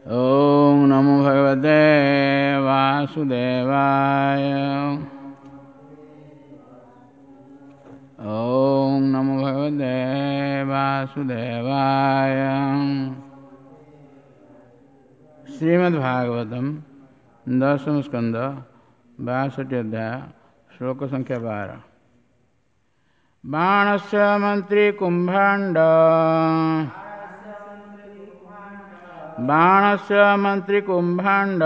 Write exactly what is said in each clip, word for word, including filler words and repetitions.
ॐ नमो भगवते वासुदेवाय। ॐ नमो भगवते वासुदेवाय। श्रीमद्भागवतम दशम स्कंद बासठ अध्याय श्लोक संख्या बारह। बाणस्य मंत्री कुंभांड बाणस्य मंत्री कुंभांड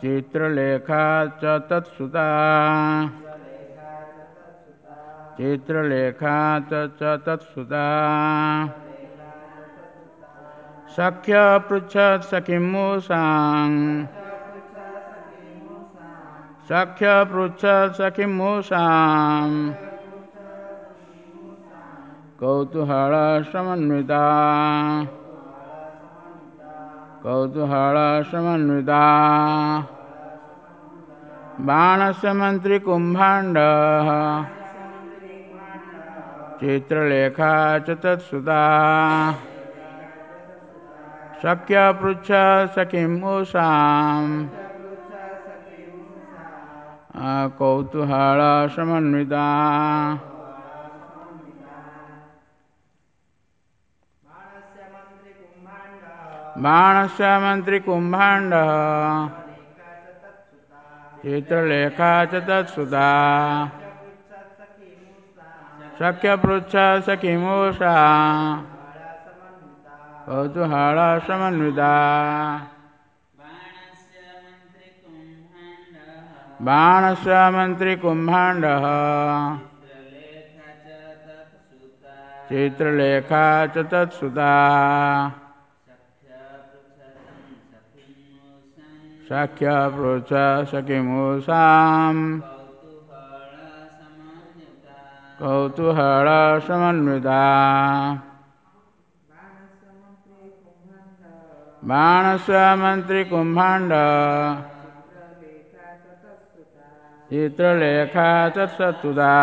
चित्रलेखा च तत्सुता चित्रलेखा च तत्सुता सख्य पृच्छत् सखिमूषां सख्य पृच्छत् सखिमूषां कौतूहल समन्विता कौतूहल समन्विता बाणस्य मंत्री कुंभांड चित्रलेखा च तत्सुता सख्य पृच्छ सखिमूषां कौतूहल समन्विता। बाणस्य मंत्री कुंभांड चित्रलेखा च तत्सुता सख्य पृच्छ सखिमूषा कौतूहल समन्विता। बाणस्य मंत्री कुंभांड चित्रलेखा च तत्सुता सख्य पृच्छ सखिमूषां कौतूहल समन्विता। बाणस्य मंत्री कुंभांड चित्रलेखा तत्सुता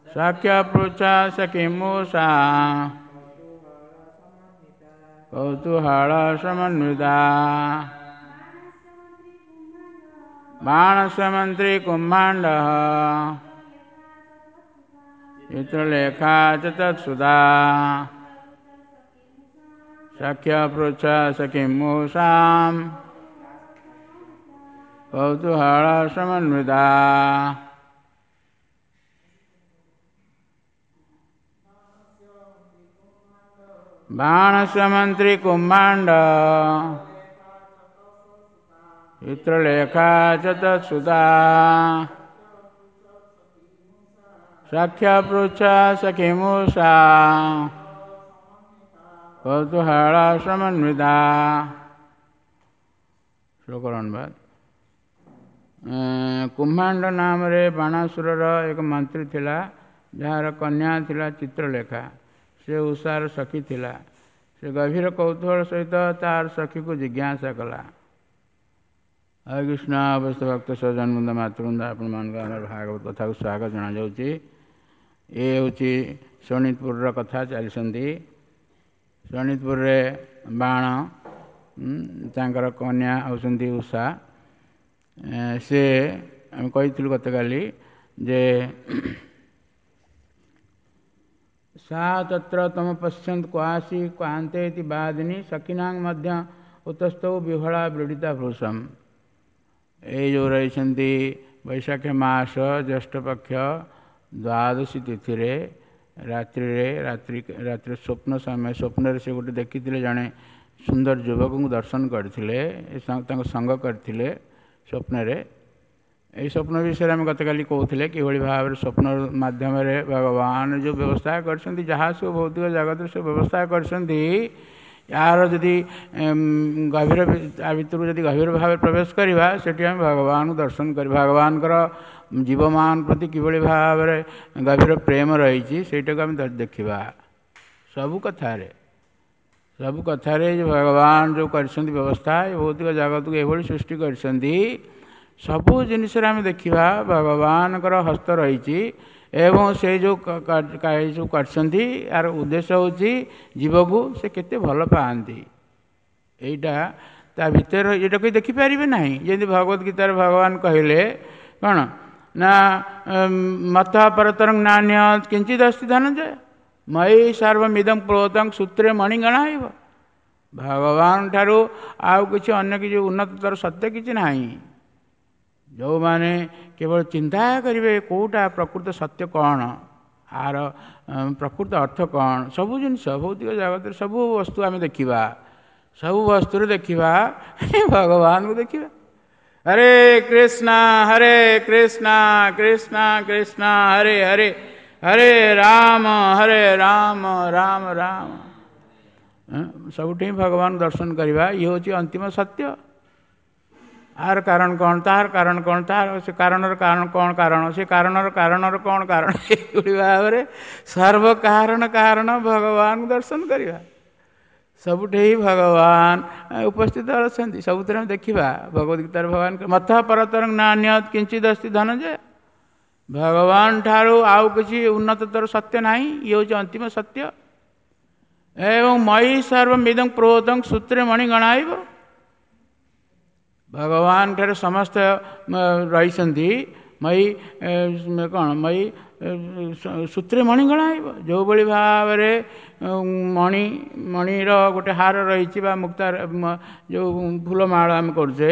सख्य पृच्छ सखिमूषा कौतूहल समन्विता। बाणस्य मंत्री कुंभांड चित्रलेखा च तत्सुता सख्य पृच्छ सखिमूषां कौतूहल समन्विता। बाणस्य मंत्री कुंभांड चित्रलेखा च तत्सुता सख्य पृच्छ सखिमूषा कौतूहल समन्विता। श्लोक अनुवाद। कुंभांड नामରେ ବାଣାସୁରର ଏକ ମନ୍ତ୍ରୀ ଥିଲା, ଯାହାର କନ୍ୟା ଥିଲା ଚିତ୍ରଲେଖା। ସେ ଉଷାର ସଖୀ ଥିଲା। ସେ ଗଭୀର କୌତୂହଳ ସହିତ ତାର ସଖୀକୁ ଜିଜ୍ଞାସା କଲା। ହରେ କୃଷ୍ଣ। ଅବସ୍ଥ ଭକ୍ତ ସଜନବୃନ୍ଦ ମାତୃବୃନ୍ଦ, ଆପଣମାନଙ୍କୁ ଆମର ଭାଗବତ କଥାକୁ ସ୍ୱାଗତ ଜଣାଯାଉଛି। ଏ ହେଉଛି ଶୋଣିତପୁରର କଥା ଚାଲିଛନ୍ତି। ଶୋଣିତପୁରରେ ବାଣ, ତାଙ୍କର କନ୍ୟା ହେଉଛନ୍ତି ଉଷା। ସେ ଆମେ କହିଥିଲୁ ଗତକାଲି ଯେ सा तत्र तम पश्यन्त क्वासी क्वान्ते इति वादिनी सखिनां मध्य उतस्थौ विह्वला व्रीडिता भृशम्। ଏ ଯେଉଁ ରହିଛନ୍ତି ବୈଶାଖ ମାସ ଜ୍ୟେଷ୍ଠ ପକ୍ଷ ଦ୍ୱାଦଶୀ ତିଥିରେ ରାତ୍ରିରେ ରାତ୍ରି ରାତ୍ରି ସ୍ୱପ୍ନ ସମୟ ସ୍ୱପ୍ନରେ ସେ ଗୋଟେ ଦେଖିଥିଲେ ଜଣେ ସୁନ୍ଦର ଯୁବକଙ୍କୁ ଦର୍ଶନ କରିଥିଲେ, ତାଙ୍କ ସଙ୍ଗ କରିଥିଲେ ସ୍ୱପ୍ନରେ। ଏହି ସ୍ୱପ୍ନ ବିଷୟରେ ଆମେ ଗତକାଲି କହୁଥିଲେ କିଭଳି ଭାବରେ ସ୍ୱପ୍ନ ମାଧ୍ୟମରେ ଭଗବାନ ଯେଉଁ ବ୍ୟବସ୍ଥା କରିଛନ୍ତି, ଯାହା ସବୁ ଭୌତିକ ଜଗତରେ ସବୁ ବ୍ୟବସ୍ଥା କରିଛନ୍ତି, ଏହାର ଯଦି ଗଭୀର ତା ଭିତରକୁ ଯଦି ଗଭୀର ଭାବରେ ପ୍ରବେଶ କରିବା, ସେଠି ଆମେ ଭଗବାନଙ୍କୁ ଦର୍ଶନ କରିବା। ଭଗବାନଙ୍କର ଜୀବମାନ ପ୍ରତି କିଭଳି ଭାବରେ ଗଭୀର ପ୍ରେମ ରହିଛି ସେଇଟାକୁ ଆମେ ଦେଖିବା। ସବୁ କଥାରେ ସବୁ କଥାରେ ଯେ ଭଗବାନ ଯେଉଁ କରିଛନ୍ତି ବ୍ୟବସ୍ଥା, ଏ ଭୌତିକ ଜଗତକୁ ଏଭଳି ସୃଷ୍ଟି କରିଛନ୍ତି, ସବୁ ଜିନିଷରେ ଆମେ ଦେଖିବା ଭଗବାନଙ୍କର ହସ୍ତ ରହିଛି ଏବଂ ସେ ଯେଉଁ ସବୁ କରିଛନ୍ତି ଆର ଉଦ୍ଦେଶ୍ୟ ହେଉଛି ଜୀବକୁ ସେ କେତେ ଭଲ ପାଆନ୍ତି। ଏଇଟା ତା ଭିତରେ ଏଇଟା କେହି ଦେଖିପାରିବେ ନାହିଁ। ଯେମିତି ଭଗବତ ଗୀତାରେ ଭଗବାନ କହିଲେ କ'ଣ ନା ମତ ପରତରଂ ନାନ୍ୟ କିଞ୍ଚିତ ଅସ୍ତି ଧନଞ୍ଜୟ ମୟି ସର୍ବମିଦଂ ପ୍ରୋତଂ ସୂତ୍ରେ ମଣିଗଣା ହେବ। ଭଗବାନ ଠାରୁ ଆଉ କିଛି ଅନ୍ୟ କିଛି ଉନ୍ନତତର ସତ୍ୟ କିଛି ନାହିଁ। ଯେଉଁମାନେ କେବଳ ଚିନ୍ତା କରିବେ କେଉଁଟା ପ୍ରକୃତ ସତ୍ୟ କ'ଣ, ଆର ପ୍ରକୃତ ଅର୍ଥ କ'ଣ, ସବୁ ଜିନିଷ ଭୌତିକ ଜଗତରେ ସବୁ ବସ୍ତୁ ଆମେ ଦେଖିବା, ସବୁ ବସ୍ତୁରେ ଦେଖିବା ଭଗବାନଙ୍କୁ ଦେଖିବା। ହରେ କୃଷ୍ଣ ହରେ କୃଷ୍ଣ କୃଷ୍ଣ କୃଷ୍ଣ ହରେ ହରେ ହରେ ରାମ ହରେ ରାମ ରାମ ରାମ, ସବୁଠି ଭଗବାନ ଦର୍ଶନ କରିବା। ଇଏ ହେଉଛି ଅନ୍ତିମ ସତ୍ୟ। ଆର କାରଣ କ'ଣ, ତାହାର କାରଣ କ'ଣ, ତାହାର ସେ କାରଣର କାରଣ କ'ଣ କାରଣ, ସେ କାରଣର କାରଣର କ'ଣ କାରଣ, ଏଇଭଳି ଭାବରେ ସର୍ବ କାରଣ କାରଣ ଭଗବାନଙ୍କୁ ଦର୍ଶନ କରିବା। ସବୁଠି ଭଗବାନ ଉପସ୍ଥିତ ଅଛନ୍ତି, ସବୁଥିରେ ଆମେ ଦେଖିବା। ଭଗବତ ଗୀତାରେ ଭଗବାନ ମତ ପରତରଂ ନାନ୍ୟତ୍ କିଞ୍ଚିଦ୍ ଅସ୍ତି ଧନଞ୍ଜୟ, ଭଗବାନ ଠାରୁ ଆଉ କିଛି ଉନ୍ନତତର ସତ୍ୟ ନାହିଁ। ଇଏ ହେଉଛି ଅନ୍ତିମ ସତ୍ୟ। ଏବଂ ମୟି ସର୍ବମିଦଂ ପ୍ରୋତଂ ସୂତ୍ରେ ମଣି ଗଣାଇବ, ଭଗବାନ ଠାରେ ସମସ୍ତ ରହିଛନ୍ତି। ମୟି କ'ଣ, ମୟି ସୂତ୍ରେ ମଣି ଗଣାଇବ। ଯେଉଁଭଳି ଭାବରେ ମଣି ମଣିର ଗୋଟେ ହାର ରହିଛି ବା ମୁକ୍ତା ଯେଉଁ ଫୁଲମାଳ ଆମେ କରୁଛେ,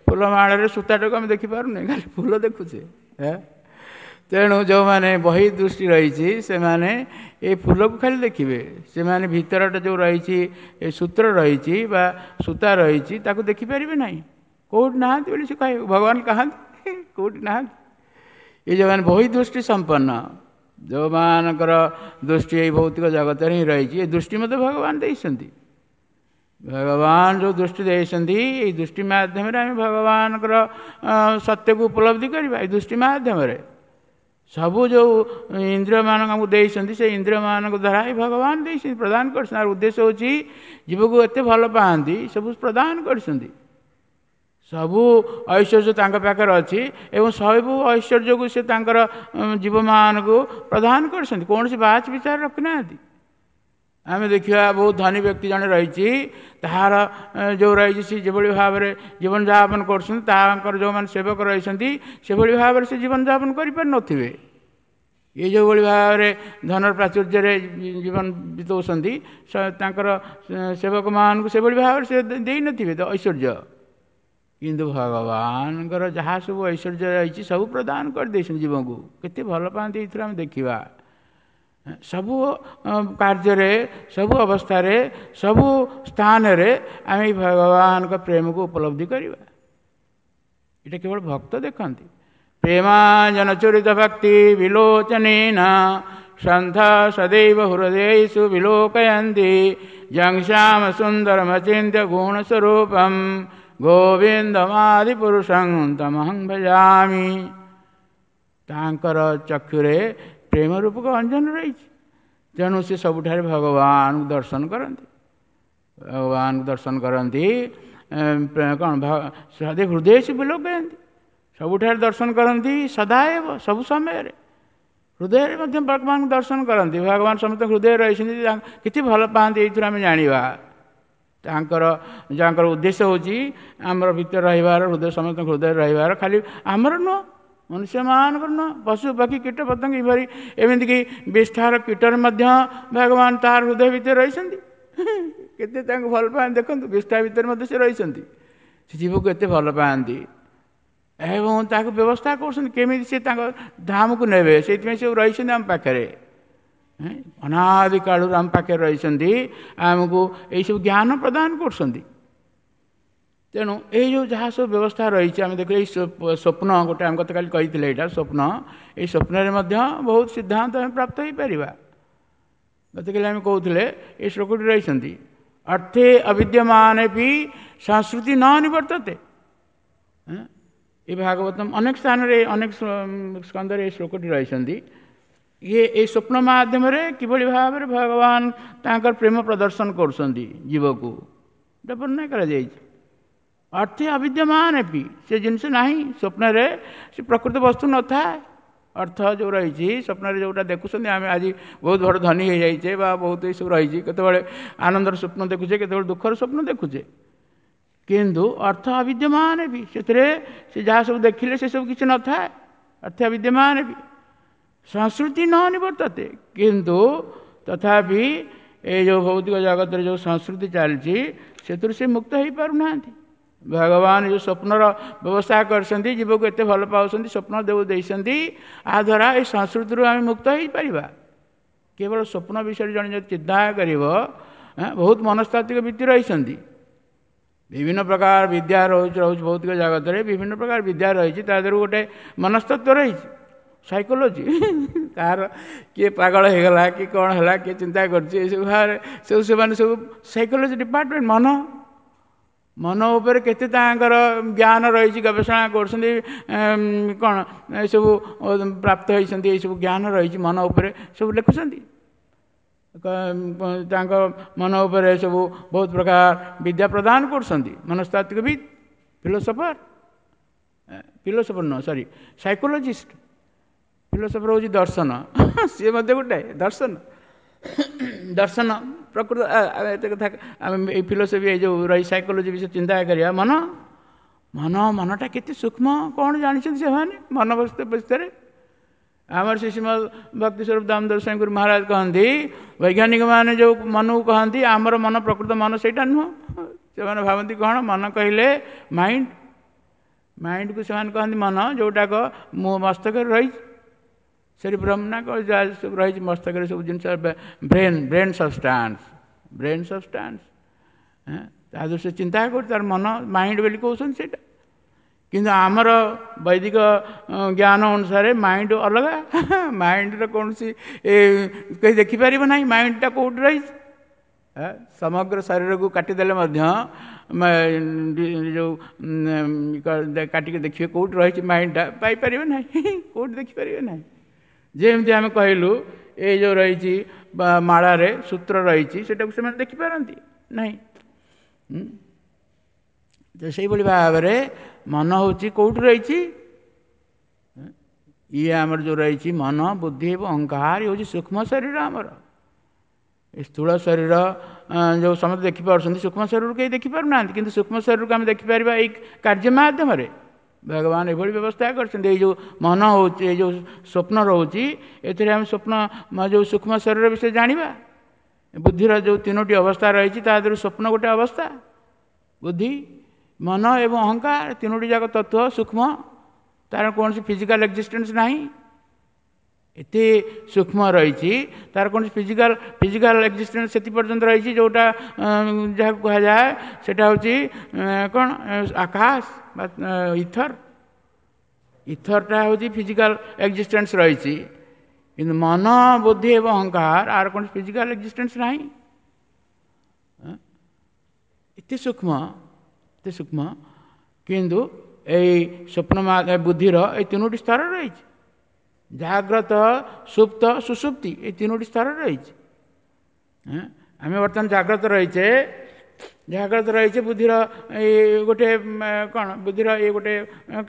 ଫୁଲମାଳରେ ସୂତାଟାକୁ ଆମେ ଦେଖିପାରୁନେ, ଖାଲି ଫୁଲ ଦେଖୁଛେ। ତେଣୁ ଯେଉଁମାନେ ବହି ଦୃଷ୍ଟି ରହିଛି ସେମାନେ ଏ ଫୁଲକୁ ଖାଲି ଦେଖିବେ, ସେମାନେ ଭିତରଟା ଯେଉଁ ରହିଛି ଏ ସୂତ୍ର ରହିଛି ବା ସୂତା ରହିଛି ତାକୁ ଦେଖିପାରିବେ ନାହିଁ। କେଉଁଠି ନାହାନ୍ତି ବୋଲି ସେ କହିବେ, ଭଗବାନ କାହାନ୍ତି, କେଉଁଠି ନାହାନ୍ତି। ଏ ଯେଉଁମାନେ ବହି ଦୃଷ୍ଟି ସମ୍ପନ୍ନ, ଯେଉଁମାନଙ୍କର ଦୃଷ୍ଟି ଏଇ ଭୌତିକ ଜଗତରେ ହିଁ ରହିଛି, ଏ ଦୃଷ୍ଟି ମଧ୍ୟ ଭଗବାନ ଦେଇଛନ୍ତି। ଭଗବାନ ଯେଉଁ ଦୃଷ୍ଟି ଦେଇଛନ୍ତି, ଏଇ ଦୃଷ୍ଟି ମାଧ୍ୟମରେ ଆମେ ଭଗବାନଙ୍କର ସତ୍ୟକୁ ଉପଲବ୍ଧି କରିବା। ଏଇ ଦୃଷ୍ଟି ମାଧ୍ୟମରେ ସବୁ ଯେଉଁ ଇନ୍ଦ୍ରିୟମାନଙ୍କୁ ଆମକୁ ଦେଇଛନ୍ତି, ସେ ଇନ୍ଦ୍ରିୟମାନଙ୍କ ଦ୍ୱାରା ହିଁ ଭଗବାନ ଦେଇଛନ୍ତି, ପ୍ରଦାନ କରିଛନ୍ତି। ତାର ଉଦ୍ଦେଶ୍ୟ ହେଉଛି ଜୀବକୁ ଏତେ ଭଲ ପାଆନ୍ତି, ସବୁ ପ୍ରଦାନ କରିଛନ୍ତି। ସବୁ ଐଶ୍ୱର୍ଯ୍ୟ ତାଙ୍କ ପାଖରେ ଅଛି ଏବଂ ସବୁ ଐଶ୍ୱର୍ଯ୍ୟକୁ ସେ ତାଙ୍କର ଜୀବମାନଙ୍କୁ ପ୍ରଦାନ କରିଛନ୍ତି। କୌଣସି ବାଛ ବିଚାର ରଖିନାହାନ୍ତି। ଆମେ ଦେଖିବା ବହୁତ ଧନୀ ବ୍ୟକ୍ତି ଜଣେ ରହିଛି, ତାହାର ଯେଉଁ ରହିଛି ସେ ଯେଭଳି ଭାବରେ ଜୀବନଯାପନ କରୁଛନ୍ତି, ତାଙ୍କର ଯେଉଁମାନେ ସେବକ ରହିଛନ୍ତି ସେଭଳି ଭାବରେ ସେ ଜୀବନଯାପନ କରିପାରିନଥିବେ। ଇଏ ଯେଉଁଭଳି ଭାବରେ ଧନର ପ୍ରାଚୁର୍ଯ୍ୟରେ ଜୀବନ ବିତାଉଛନ୍ତି, ତାଙ୍କର ସେବକମାନଙ୍କୁ ସେଭଳି ଭାବରେ ସେ ଦେଇନଥିବେ ତ ଐଶ୍ୱର୍ଯ୍ୟ। କିନ୍ତୁ ଭଗବାନଙ୍କର ଯାହା ସବୁ ଐଶ୍ୱର୍ଯ୍ୟ ରହିଛି ସବୁ ପ୍ରଦାନ କରିଦେଇଛନ୍ତି ଜୀବଙ୍କୁ। କେତେ ଭଲ ପାଆନ୍ତି ଏଇଥିରୁ ଆମେ ଦେଖିବା। ସବୁ କାର୍ଯ୍ୟରେ, ସବୁ ଅବସ୍ଥାରେ, ସବୁ ସ୍ଥାନରେ ଆମେ ଭଗବାନଙ୍କ ପ୍ରେମକୁ ଉପଲବ୍ଧି କରିବା। ଏଇଟା କେବଳ ଭକ୍ତ ଦେଖନ୍ତି। ପ୍ରେମାଞ୍ଜନ ଚୁରିତ ଭକ୍ତି ବିଲୋଚନେନ ସନ୍ଥ ସଦୈବ ହୃଦୟେଷୁ ବିଲୋକୟନ୍ତି ଯଂ ଶ୍ୟାମ ସୁନ୍ଦରମଚିନ୍ତ୍ୟ ଗୁଣସ୍ୱରୂପಂ ଗୋବିନ୍ଦମାଦିପୁରୁଷଂ ତମହଂ ଭଜାମି। ତାଙ୍କର ଚକ୍ଷୁରେ ପ୍ରେମ ରୂପକ ଅଞ୍ଜନ ରହିଛି, ତେଣୁ ସେ ସବୁଠାରେ ଭଗବାନଙ୍କୁ ଦର୍ଶନ କରନ୍ତି। ଭଗବାନଙ୍କୁ ଦର୍ଶନ କରନ୍ତି କ'ଣ, ସଦା ହୃଦୟ ସେ ବିଲୋକୟନ୍ତି, ସବୁଠାରେ ଦର୍ଶନ କରନ୍ତି ସଦାଏବ, ସବୁ ସମୟରେ ହୃଦୟରେ ମଧ୍ୟ ଭଗବାନଙ୍କୁ ଦର୍ଶନ କରନ୍ତି। ଭଗବାନ ସମସ୍ତଙ୍କ ହୃଦୟରେ ରହିଛନ୍ତି, କେତେ ଭଲ ପାଆନ୍ତି ଏଇଥିରୁ ଆମେ ଜାଣିବା। ତାଙ୍କର ଯାଙ୍କର ଉଦ୍ଦେଶ୍ୟ ହେଉଛି ଆମର ଭିତରେ ରହିବାର, ହୃଦୟ ସମସ୍ତଙ୍କ ହୃଦୟରେ ରହିବାର, ଖାଲି ଆମର ନୁହଁ, ମନୁଷ୍ୟମାନଙ୍କର ନୁହଁ, ପଶୁ ପକ୍ଷୀ କୀଟ ପତଙ୍ଗ ଏଭଳି ଏମିତିକି ବିଷ୍ଠାର କୀଟରେ ମଧ୍ୟ ଭଗବାନ ତାର ହୃଦୟ ଭିତରେ ରହିଛନ୍ତି। କେତେ ତାଙ୍କୁ ଭଲ ପାଆନ୍ତି ଦେଖନ୍ତୁ, ବିଷ୍ଠା ଭିତରେ ମଧ୍ୟ ସେ ରହିଛନ୍ତି। ସେ ଜୀବକୁ ଏତେ ଭଲ ପାଆନ୍ତି ଏବଂ ତାକୁ ବ୍ୟବସ୍ଥା କରୁଛନ୍ତି କେମିତି ସେ ତାଙ୍କ ଧାମକୁ ନେବେ, ସେଇଥିପାଇଁ ସେ ରହିଛନ୍ତି ଆମ ପାଖରେ। ଅନାଦି କାଳରୁ ଆମ ପାଖରେ ରହିଛନ୍ତି, ଆମକୁ ଏଇସବୁ ଜ୍ଞାନ ପ୍ରଦାନ କରୁଛନ୍ତି। ତେଣୁ ଏଇ ଯେଉଁ ଯାହା ସବୁ ବ୍ୟବସ୍ଥା ରହିଛି ଆମେ ଦେଖିଲେ, ଏଇ ସ୍ୱପ୍ନ ଗୋଟେ ଆମେ ଗତକାଲି କହିଥିଲେ, ଏଇଟା ସ୍ୱପ୍ନ। ଏଇ ସ୍ୱପ୍ନରେ ମଧ୍ୟ ବହୁତ ସିଦ୍ଧାନ୍ତ ଆମେ ପ୍ରାପ୍ତ ହେଇପାରିବା। ଗତକାଲି ଆମେ କହୁଥିଲେ ଏଇ ଶ୍ଲୋକଟି ରହିଛନ୍ତି, ଅର୍ଥେ ଅବିଦ୍ୟମାନେ ବି ସଂସ୍କୃତି ନ ନିବର୍ତ୍ତତେ। ଏ ଭାଗବତମ ଅନେକ ସ୍ଥାନରେ ଅନେକ ସ୍କନ୍ଧରେ ଏ ଶ୍ଲୋକଟି ରହିଛନ୍ତି। ଇଏ ଏଇ ସ୍ୱପ୍ନ ମାଧ୍ୟମରେ କିଭଳି ଭାବରେ ଭଗବାନ ତାଙ୍କର ପ୍ରେମ ପ୍ରଦର୍ଶନ କରୁଛନ୍ତି ଜୀବକୁ, ଏଇଟା ବର୍ଣ୍ଣନା କରାଯାଇଛି। ଅର୍ଥେ ଅବିଦ୍ୟମାନ ବି, ସେ ଜିନିଷ ନାହିଁ ସ୍ୱପ୍ନରେ, ସେ ପ୍ରକୃତ ବସ୍ତୁ ନଥାଏ। ଅର୍ଥ ଯେଉଁ ରହିଛି ସ୍ୱପ୍ନରେ, ଯେଉଁଟା ଦେଖୁଛନ୍ତି ଆମେ ଆଜି ବହୁତ ବଡ଼ ଧନୀ ହେଇଯାଇଛେ ବା ବହୁତ ଏସବୁ ରହିଛି, କେତେବେଳେ ଆନନ୍ଦର ସ୍ୱପ୍ନ ଦେଖୁଛେ, କେତେବେଳେ ଦୁଃଖର ସ୍ୱପ୍ନ ଦେଖୁଛେ, କିନ୍ତୁ ଅର୍ଥ ଅବିଦ୍ୟମାନ ବି, ସେଥିରେ ସେ ଯାହା ସବୁ ଦେଖିଲେ ସେସବୁ କିଛି ନଥାଏ। ଅର୍ଥ ବିଦ୍ୟମାନ ବି ସଂସ୍କୃତି ନ ନିବର୍ତ୍ତତେ, କିନ୍ତୁ ତଥାପି ଏଇ ଯେଉଁ ଭୌତିକ ଜଗତରେ ଯେଉଁ ସଂସ୍କୃତି ଚାଲିଛି ସେଥିରୁ ସେ ମୁକ୍ତ ହେଇପାରୁନାହାନ୍ତି। ଭଗବାନ ଯେଉଁ ସ୍ୱପ୍ନର ବ୍ୟବସ୍ଥା କରିଛନ୍ତି, ଜୀବକୁ ଏତେ ଭଲ ପାଉଛନ୍ତି, ସ୍ୱପ୍ନ ଦେବ ଦେଇଛନ୍ତି, ଆ ଦ୍ୱାରା ଏ ସଂସ୍କୃତିରୁ ଆମେ ମୁକ୍ତ ହେଇପାରିବା। କେବଳ ସ୍ୱପ୍ନ ବିଷୟରେ ଜଣେ ଯଦି ଚିନ୍ତା କରିବ, ବହୁତ ମନସ୍ତାତ୍ତ୍ୱିକ ବୃତ୍ତି ରହିଛନ୍ତି, ବିଭିନ୍ନ ପ୍ରକାର ବିଦ୍ୟା ରହୁଛି ରହୁଛି ଭୌତିକ ଜଗତରେ ବିଭିନ୍ନ ପ୍ରକାର ବିଦ୍ୟା ରହିଛି, ତା ଦେହରୁ ଗୋଟେ ମନସ୍ତତ୍ଵ ରହିଛି, ସାଇକୋଲୋଜି। କାହାର କିଏ ପାଗଳ ହେଇଗଲା କି କ'ଣ ହେଲା, କିଏ ଚିନ୍ତା କରୁଛି, ଏସବୁ ଭାବରେ ସବୁ ସେମାନେ ସବୁ ସାଇକୋଲୋଜି ଡିପାର୍ଟମେଣ୍ଟ। ମନ ମନ ଉପରେ କେତେ ତାଙ୍କର ଜ୍ଞାନ ରହିଛି, ଗବେଷଣା କରୁଛନ୍ତି, କ'ଣ ଏସବୁ ପ୍ରାପ୍ତ ହେଇଛନ୍ତି, ଏସବୁ ଜ୍ଞାନ ରହିଛି ମନ ଉପରେ, ସବୁ ଲେଖୁଛନ୍ତି ତାଙ୍କ ମନ ଉପରେ, ସବୁ ବହୁତ ପ୍ରକାର ବିଦ୍ୟା ପ୍ରଦାନ କରୁଛନ୍ତି ମନସ୍ତାତ୍ତ୍ୱିକବିତ୍, ଫିଲୋସଫର, ଫିଲୋସଫର ନୁହଁ ସରି, ସାଇକୋଲୋଜିଷ୍ଟ। ଫିଲୋସଫର ହେଉଛି ଦର୍ଶନ, ସିଏ ମଧ୍ୟ ଗୋଟେ ଦର୍ଶନ। ଦର୍ଶନ ପ୍ରକୃତ ଏତେ କଥା ଆମେ ଏଇ ଫିଲୋସଫି, ଏଇ ଯେଉଁ ରହି ସାଇକୋଲୋଜି ବିଷୟରେ ଚିନ୍ତା କରିବା। ମନ ମନ ମନଟା କେତେ ସୂକ୍ଷ୍ମ କ'ଣ ଜାଣିଛନ୍ତି ସେମାନେ ମନ ବିଷୟରେ। ଆମର ଶ୍ରୀ ଶ୍ରୀମଦ ଭକ୍ତି ସ୍ୱରୂପ ଦାମୋଦର ସ୍ୱାମୀ ଗୁରୁ ମହାରାଜ କହନ୍ତି, ବୈଜ୍ଞାନିକମାନେ ଯେଉଁ ମନକୁ କହନ୍ତି, ଆମର ମନ ପ୍ରକୃତ ମନ ସେଇଟା ନୁହଁ। ସେମାନେ ଭାବନ୍ତି କ'ଣ ମନ କହିଲେ ମାଇଣ୍ଡ, ମାଇଣ୍ଡକୁ ସେମାନେ କହନ୍ତି ମନ, ଯେଉଁଟାକ ମୋ ମସ୍ତକରେ ରହିଛି, ସେରିବ୍ରମ୍ ନା କ'ଣ ଯାହା ସବୁ ରହିଛି ମସ୍ତକରେ ସବୁ ଜିନିଷ, brain, brain substance, brain substance. ତା ଦେହରୁ ସେ ଚିନ୍ତା କରୁଛି, ତାର ମନ ମାଇଣ୍ଡ ବୋଲି କହୁଛନ୍ତି ସେଇଟା। କିନ୍ତୁ ଆମର ବୈଦିକ ଜ୍ଞାନ ଅନୁସାରେ ମାଇଣ୍ଡ ଅଲଗା। ମାଇଣ୍ଡର କୌଣସି କେହି ଦେଖିପାରିବ ନାହିଁ ମାଇଣ୍ଡଟା କେଉଁଠି ରହିଛି। ସମଗ୍ର ଶରୀରକୁ କାଟିଦେଲେ ମଧ୍ୟ, ଯେଉଁ କାଟିକି ଦେଖିବେ କେଉଁଠି ରହିଛି ମାଇଣ୍ଡଟା, ପାଇପାରିବେ ନାହିଁ, କେଉଁଠି ଦେଖିପାରିବେ ନାହିଁ। ଯେମିତି ଆମେ କହିଲୁ ଏଇ ଯେଉଁ ରହିଛି ବା ମାଳାରେ ସୂତ୍ର ରହିଛି, ସେଟାକୁ ସେମାନେ ଦେଖିପାରନ୍ତି ନାହିଁ। ତ ସେଇଭଳି ଭାବରେ ମନ ହେଉଛି କେଉଁଠି ରହିଛି? ଇଏ ଆମର ଯେଉଁ ରହିଛି ମନ, ବୁଦ୍ଧି ଏବଂ ଅହଙ୍କାର ହେଉଛି ସୂକ୍ଷ୍ମ ଶରୀର ଆମର। ଏ ସ୍ଥୂଳ ଶରୀର ଯେଉଁ ସମସ୍ତେ ଦେଖିପାରୁଛନ୍ତି, ସୂକ୍ଷ୍ମ ଶରୀରକୁ କେହି ଦେଖିପାରୁନାହାନ୍ତି। କିନ୍ତୁ ସୂକ୍ଷ୍ମ ଶରୀରକୁ ଆମେ ଦେଖିପାରିବା ଏଇ କାର୍ଯ୍ୟ ମାଧ୍ୟମରେ। ଭଗବାନ ଏଭଳି ବ୍ୟବସ୍ଥା କରିଛନ୍ତି। ଏଇ ଯେଉଁ ମନ ହେଉଛି, ଏଇ ଯେଉଁ ସ୍ୱପ୍ନ ରହୁଛି, ଏଥିରେ ଆମେ ସ୍ୱପ୍ନ ଯେଉଁ ସୂକ୍ଷ୍ମ ଶରୀର ବିଷୟରେ ଜାଣିବା। ବୁଦ୍ଧିର ଯେଉଁ ତିନୋଟି ଅବସ୍ଥା ରହିଛି, ତା ଦେହରୁ ସ୍ୱପ୍ନ ଗୋଟେ ଅବସ୍ଥା। ବୁଦ୍ଧି, ମନ ଏବଂ ଅହଙ୍କାର ତିନୋଟି ଯାକ ତତ୍ତ୍ୱ ସୂକ୍ଷ୍ମ, ତାର କୌଣସି ଫିଜିକାଲ ଏକ୍ଜିଷ୍ଟେନ୍ସ ନାହିଁ। ଏତେ ସୂକ୍ଷ୍ମ ରହିଛି, ତାର କୌଣସି ଫିଜିକାଲ ଫିଜିକାଲ ଏକ୍ଜିଷ୍ଟେନ୍ସ ସେତି ପର୍ଯ୍ୟନ୍ତ ରହିଛି, ଯେଉଁଟା ଯାହାକୁ କୁହାଯାଏ ସେଇଟା ହେଉଛି କ'ଣ, ଆକାଶ ବା ଇଥର। ଇଥରଟା ହେଉଛି ଫିଜିକାଲ ଏକ୍ଜିଷ୍ଟେନ୍ସ ରହିଛି, କିନ୍ତୁ ମନ, ବୁଦ୍ଧି ଏବଂ ଅହଙ୍କାର ଆର କୌଣସି ଫିଜିକାଲ ଏକ୍ଜିଷ୍ଟେନ୍ସ ନାହିଁ। ଏତେ ସୂକ୍ଷ୍ମ, ଏତେ ସୂକ୍ଷ୍ମ, କିନ୍ତୁ ଏଇ ସ୍ୱପ୍ନ ବୁଦ୍ଧିର ଏଇ ତିନୋଟି ସ୍ତର ରହିଛି, ଜାଗ୍ରତ, ସୁପ୍ତ, ସୁଷୁପ୍ତି, ଏଇ ତିନୋଟି ସ୍ତର ରହିଛି। ଆମେ ବର୍ତ୍ତମାନ ଜାଗ୍ରତ ରହିଛେ, ଜାଗ୍ରତ ରହିଛେ, ବୁଦ୍ଧିର ଏଇ ଗୋଟେ କ'ଣ, ବୁଦ୍ଧିର ଏଇ ଗୋଟେ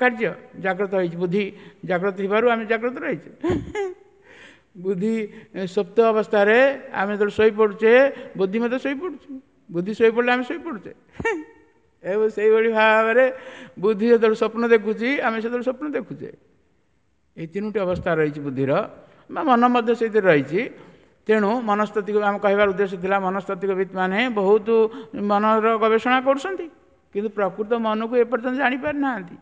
କାର୍ଯ୍ୟ ଜାଗ୍ରତ ହେଇଛି। ବୁଦ୍ଧି ଜାଗ୍ରତ ଥିବାରୁ ଆମେ ଜାଗ୍ରତ ରହିଛେ। ବୁଦ୍ଧି ସୁପ୍ତ ଅବସ୍ଥାରେ ଆମେ ଯେତେବେଳେ ଶୋଇପଡ଼ୁଛେ, ବୁଦ୍ଧି ମଧ୍ୟ ଶୋଇପଡ଼ୁଛୁ। ବୁଦ୍ଧି ଶୋଇପଡ଼ିଲେ ଆମେ ଶୋଇପଡ଼ୁଛେ। ଏବଂ ସେଇଭଳି ଭାବରେ ବୁଦ୍ଧି ଯେତେବେଳେ ସ୍ୱପ୍ନ ଦେଖୁଛି, ଆମେ ସେତେବେଳେ ସ୍ୱପ୍ନ ଦେଖୁଛେ। ଏଇ ତିନୋଟି ଅବସ୍ଥା ରହିଛି ବୁଦ୍ଧିର, ବା ମନ ମଧ୍ୟ ସେଇଥିରେ ରହିଛି। ତେଣୁ ମନସ୍ତାତ୍ତ୍ୱିକ, ଆମେ କହିବାର ଉଦ୍ଦେଶ୍ୟ ଥିଲା, ମନସ୍ତାତ୍ତ୍ୱିକବିତ୍ ମାନେ ବହୁତ ମନର ଗବେଷଣା କରୁଛନ୍ତି, କିନ୍ତୁ ପ୍ରକୃତ ମନକୁ ଏପର୍ଯ୍ୟନ୍ତ ଜାଣିପାରିନାହାନ୍ତି।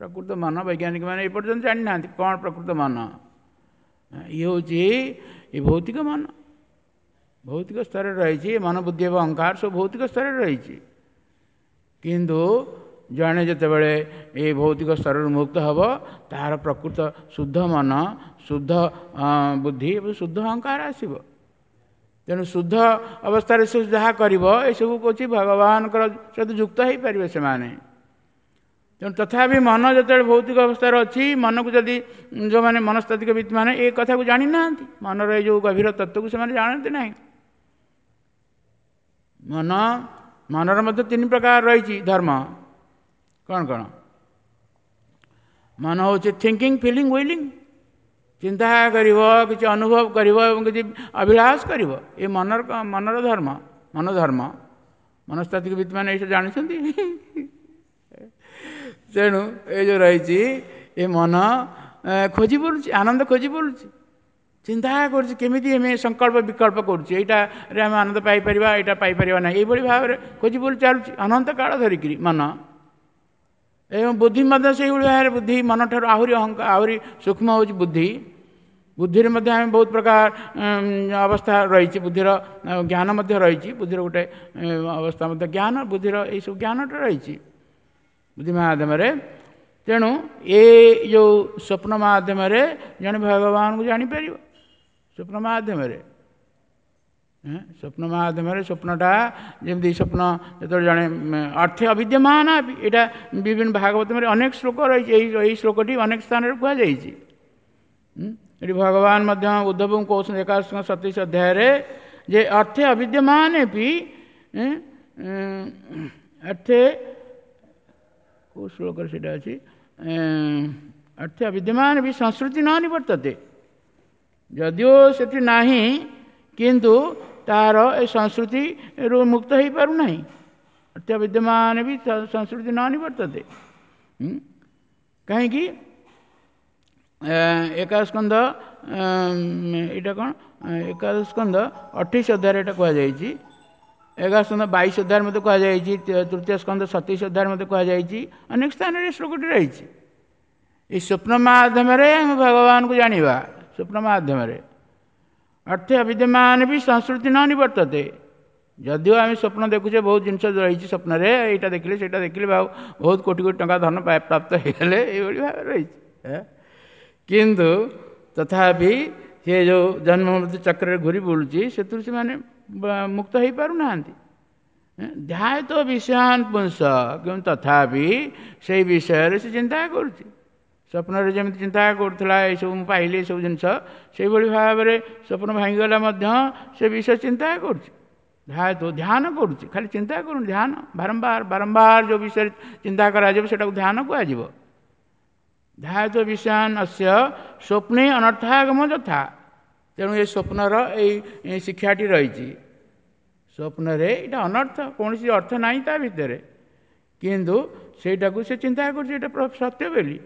ପ୍ରକୃତ ମନ ବୈଜ୍ଞାନିକମାନେ ଏପର୍ଯ୍ୟନ୍ତ ଜାଣିନାହାନ୍ତି କ'ଣ ପ୍ରକୃତ ମନ। ଇଏ ହେଉଛି ଏ ଭୌତିକ ମନ, ଭୌତିକ ସ୍ତରରେ ରହିଛି। ମନ, ବୁଦ୍ଧି ଏବଂ ଅହଙ୍କାର ସବୁ ଭୌତିକ ସ୍ତରରେ ରହିଛି। କିନ୍ତୁ ଜଣେ ଯେତେବେଳେ ଏଇ ଭୌତିକ ସ୍ତରରୁ ମୁକ୍ତ ହେବ, ତାହାର ପ୍ରକୃତ ଶୁଦ୍ଧ ମନ, ଶୁଦ୍ଧ ବୁଦ୍ଧି ଏବଂ ଶୁଦ୍ଧ ଅହଙ୍କାର ଆସିବ। ତେଣୁ ଶୁଦ୍ଧ ଅବସ୍ଥାରେ ସେ ଯାହା କରିବ, ଏସବୁ କହୁଛି ଭଗବାନଙ୍କର ସହିତ ଯୁକ୍ତ ହେଇପାରିବେ ସେମାନେ। ତେଣୁ ତଥାପି ମନ ଯେତେବେଳେ ଭୌତିକ ଅବସ୍ଥାରେ ଅଛି, ମନକୁ ଯଦି ଯେଉଁମାନେ ମନସ୍ତାତ୍ତ୍ୱିକବିତ୍ ମାନେ ଏ କଥାକୁ ଜାଣିନାହାନ୍ତି, ମନର ଏଇ ଯେଉଁ ଗଭୀର ତତ୍ତ୍ୱକୁ ସେମାନେ ଜାଣନ୍ତି ନାହିଁ। ମନ, ମନର ମଧ୍ୟ ତିନି ପ୍ରକାର ରହିଛି ଧର୍ମ। କ'ଣ କ'ଣ? ମନ ହେଉଛି ଥିଙ୍କିଂ, ଫିଲିଂ, ୱିଲିଂ। ଚିନ୍ତା କରିବ, କିଛି ଅନୁଭବ କରିବ ଏବଂ କିଛି ଅଭିଳାଷ କରିବ। ଏ ମନର ମନର ଧର୍ମ, ମନ ଧର୍ମ। ମନସ୍ତାତ୍ତ୍ୱିକ ବିଦ୍ମାନେ ଏଇସବୁ ଜାଣିଛନ୍ତି। ତେଣୁ ଏ ଯେଉଁ ରହିଛି ଏ ମନ ଖୋଜି ବୁଲୁଛି, ଆନନ୍ଦ ଖୋଜି ବୁଲୁଛି, ଚିନ୍ତା କରୁଛି କେମିତି ଆମେ ସଂକଳ୍ପ ବିକଳ୍ପ କରୁଛି, ଏଇଟାରେ ଆମେ ଆନନ୍ଦ ପାଇପାରିବା, ଏଇଟା ପାଇପାରିବା ନାହିଁ, ଏଇଭଳି ଭାବରେ ଖୋଜି ବୁଲି ଚାଲୁଛି ଅନନ୍ତ କାଳ ଧରିକିରି ମନ। ଏବଂ ବୁଦ୍ଧି ମଧ୍ୟ ସେଇଭଳି ଭାବରେ, ବୁଦ୍ଧି ମନଠାରୁ ଆହୁରି ଅହଙ୍କାର, ଆହୁରି ସୂକ୍ଷ୍ମ ହେଉଛି ବୁଦ୍ଧି। ବୁଦ୍ଧିରେ ମଧ୍ୟ ଆମେ ବହୁତ ପ୍ରକାର ଅବସ୍ଥା ରହିଛି, ବୁଦ୍ଧିର ଜ୍ଞାନ ମଧ୍ୟ ରହିଛି, ବୁଦ୍ଧିର ଗୋଟେ ଅବସ୍ଥା ମଧ୍ୟ ଜ୍ଞାନ, ବୁଦ୍ଧିର ଏଇସବୁ ଜ୍ଞାନଟା ରହିଛି ବୁଦ୍ଧି ମାଧ୍ୟମରେ। ତେଣୁ ଏ ଯେଉଁ ସ୍ୱପ୍ନ ମାଧ୍ୟମରେ ଜଣେ ଭଗବାନଙ୍କୁ ଜାଣିପାରିବ। ସ୍ୱପ୍ନ ମାଧ୍ୟମରେ, ସ୍ୱପ୍ନ ମାଧ୍ୟମରେ, ସ୍ୱପ୍ନଟା ଯେମିତି ସ୍ୱପ୍ନ ଯେତେବେଳେ ଜଣେ ଅର୍ଥେ ଅବିଦ୍ୟମାନ, ଏଇଟା ବିଭିନ୍ନ ଭାଗବତରେ ଅନେକ ଶ୍ଲୋକ ରହିଛି, ଏଇ ଏଇ ଶ୍ଲୋକଟି ଅନେକ ସ୍ଥାନରେ କୁହାଯାଇଛି। ଏଠି ଭଗବାନ ମଧ୍ୟ ଉଦ୍ଧବଙ୍କୁ କହୁଛନ୍ତି ଏକାଦଶ ସତେଇଶ ଅଧ୍ୟାୟରେ ଯେ ଅର୍ଥେ ଅବିଦ୍ୟମାନ ବି ଅର୍ଥେ, କେଉଁ ଶ୍ଲୋକରେ ସେଇଟା ଅଛି, ଅର୍ଥେ ଅବିଦ୍ୟମାନ ବି ସଂସ୍କୃତି ନ ନିବର୍ତ୍ତତେ। ଯଦିଓ ସେଠି ନାହିଁ, କିନ୍ତୁ ତାର ଏ ସଂସ୍କୃତିରୁ ମୁକ୍ତ ହେଇପାରୁନାହିଁ। ଅର୍ଥେ ଅବିଦ୍ୟମାନ ବି ସଂସ୍କୃତି ନ ନିବର୍ତ୍ତତେ। କାହିଁକି? ଏକାଦଶ ସ୍କନ୍ଧ, ଏଇଟା କ'ଣ, ଏକାଦଶ ସ୍କନ୍ଧ ଅଠେଇଶ ଅଧ୍ୟାୟରେ ଏଇଟା କୁହାଯାଇଛି, ଏକାଦଶ ସ୍କନ୍ଧ ବାଇଶ ଅଧ୍ୟାୟରେ ମଧ୍ୟ କୁହାଯାଇଛି, ତୃତୀୟ ସ୍କନ୍ଧ ସତେଇଶ ଅଧ୍ୟାୟରେ ମଧ୍ୟ କୁହାଯାଇଛି, ଅନେକ ସ୍ଥାନରେ ଶ୍ଲୋକଟି ରହିଛି। ଏଇ ସ୍ୱପ୍ନ ମାଧ୍ୟମରେ ଆମେ ଭଗବାନଙ୍କୁ ଜାଣିବା। ସ୍ୱପ୍ନ ମାଧ୍ୟମରେ ଅର୍ଥେ ଅବିଦ୍ୟମାନ ବି ସଂସ୍କୃତି ନ ନିବର୍ତ୍ତତେ। ଯଦିଓ ଆମେ ସ୍ୱପ୍ନ ଦେଖୁଛେ, ବହୁତ ଜିନିଷ ରହିଛି ସ୍ୱପ୍ନରେ, ଏଇଟା ଦେଖିଲେ ସେଇଟା ଦେଖିଲେ ବହୁତ କୋଟି କୋଟି ଟଙ୍କା ଧନ ପ୍ରାପ୍ତ ହେଇଗଲେ, ଏଇଭଳି ଭାବରେ ରହିଛି। କିନ୍ତୁ ତଥାପି ସେ ଯେଉଁ ଜନ୍ମ ମୃତ୍ୟୁ ଚକ୍ରରେ ଘୁରି ବୁଲୁଛି, ସେଥିରୁ ସେମାନେ ମୁକ୍ତ ହେଇପାରୁନାହାନ୍ତି। ଧ୍ୟାୟତ ବିଷୟାନ ପୁଂସ, କିନ୍ତୁ ତଥାପି ସେଇ ବିଷୟରେ ସେ ଚିନ୍ତା କରୁଛି। ସ୍ୱପ୍ନରେ ଯେମିତି ଚିନ୍ତା କରୁଥିଲା ଏସବୁ ମୁଁ ପାଇଲି ଏସବୁ ଜିନିଷ, ସେଇଭଳି ଭାବରେ ସ୍ୱପ୍ନ ଭାଙ୍ଗିଗଲା ମଧ୍ୟ ସେ ବିଷୟ ଚିନ୍ତା କରୁଛି। ଧ୍ୟାୟତ ଧ୍ୟାନ କରୁଛି, ଖାଲି ଚିନ୍ତା କରୁନି, ଧ୍ୟାନ ବାରମ୍ବାର ବାରମ୍ବାର ଯେଉଁ ବିଷୟରେ ଚିନ୍ତା କରାଯିବ ସେଟାକୁ ଧ୍ୟାନ କୁହାଯିବ। ଧ୍ୟାୟତ ବିଷୟାନ ଅସ୍ୟ ସ୍ୱପ୍ନେ ଅନର୍ଥାଗମ ଯଥା। ତେଣୁ ଏ ସ୍ୱପ୍ନର ଏଇ ଶିକ୍ଷାଟି ରହିଛି। ସ୍ୱପ୍ନରେ ଏଇଟା ଅନର୍ଥ, କୌଣସି ଅର୍ଥ ନାହିଁ ତା ଭିତରେ, କିନ୍ତୁ ସେଇଟାକୁ ସେ ଚିନ୍ତା କରୁଛି ଏଇଟା ସତ୍ୟ ବୋଲି।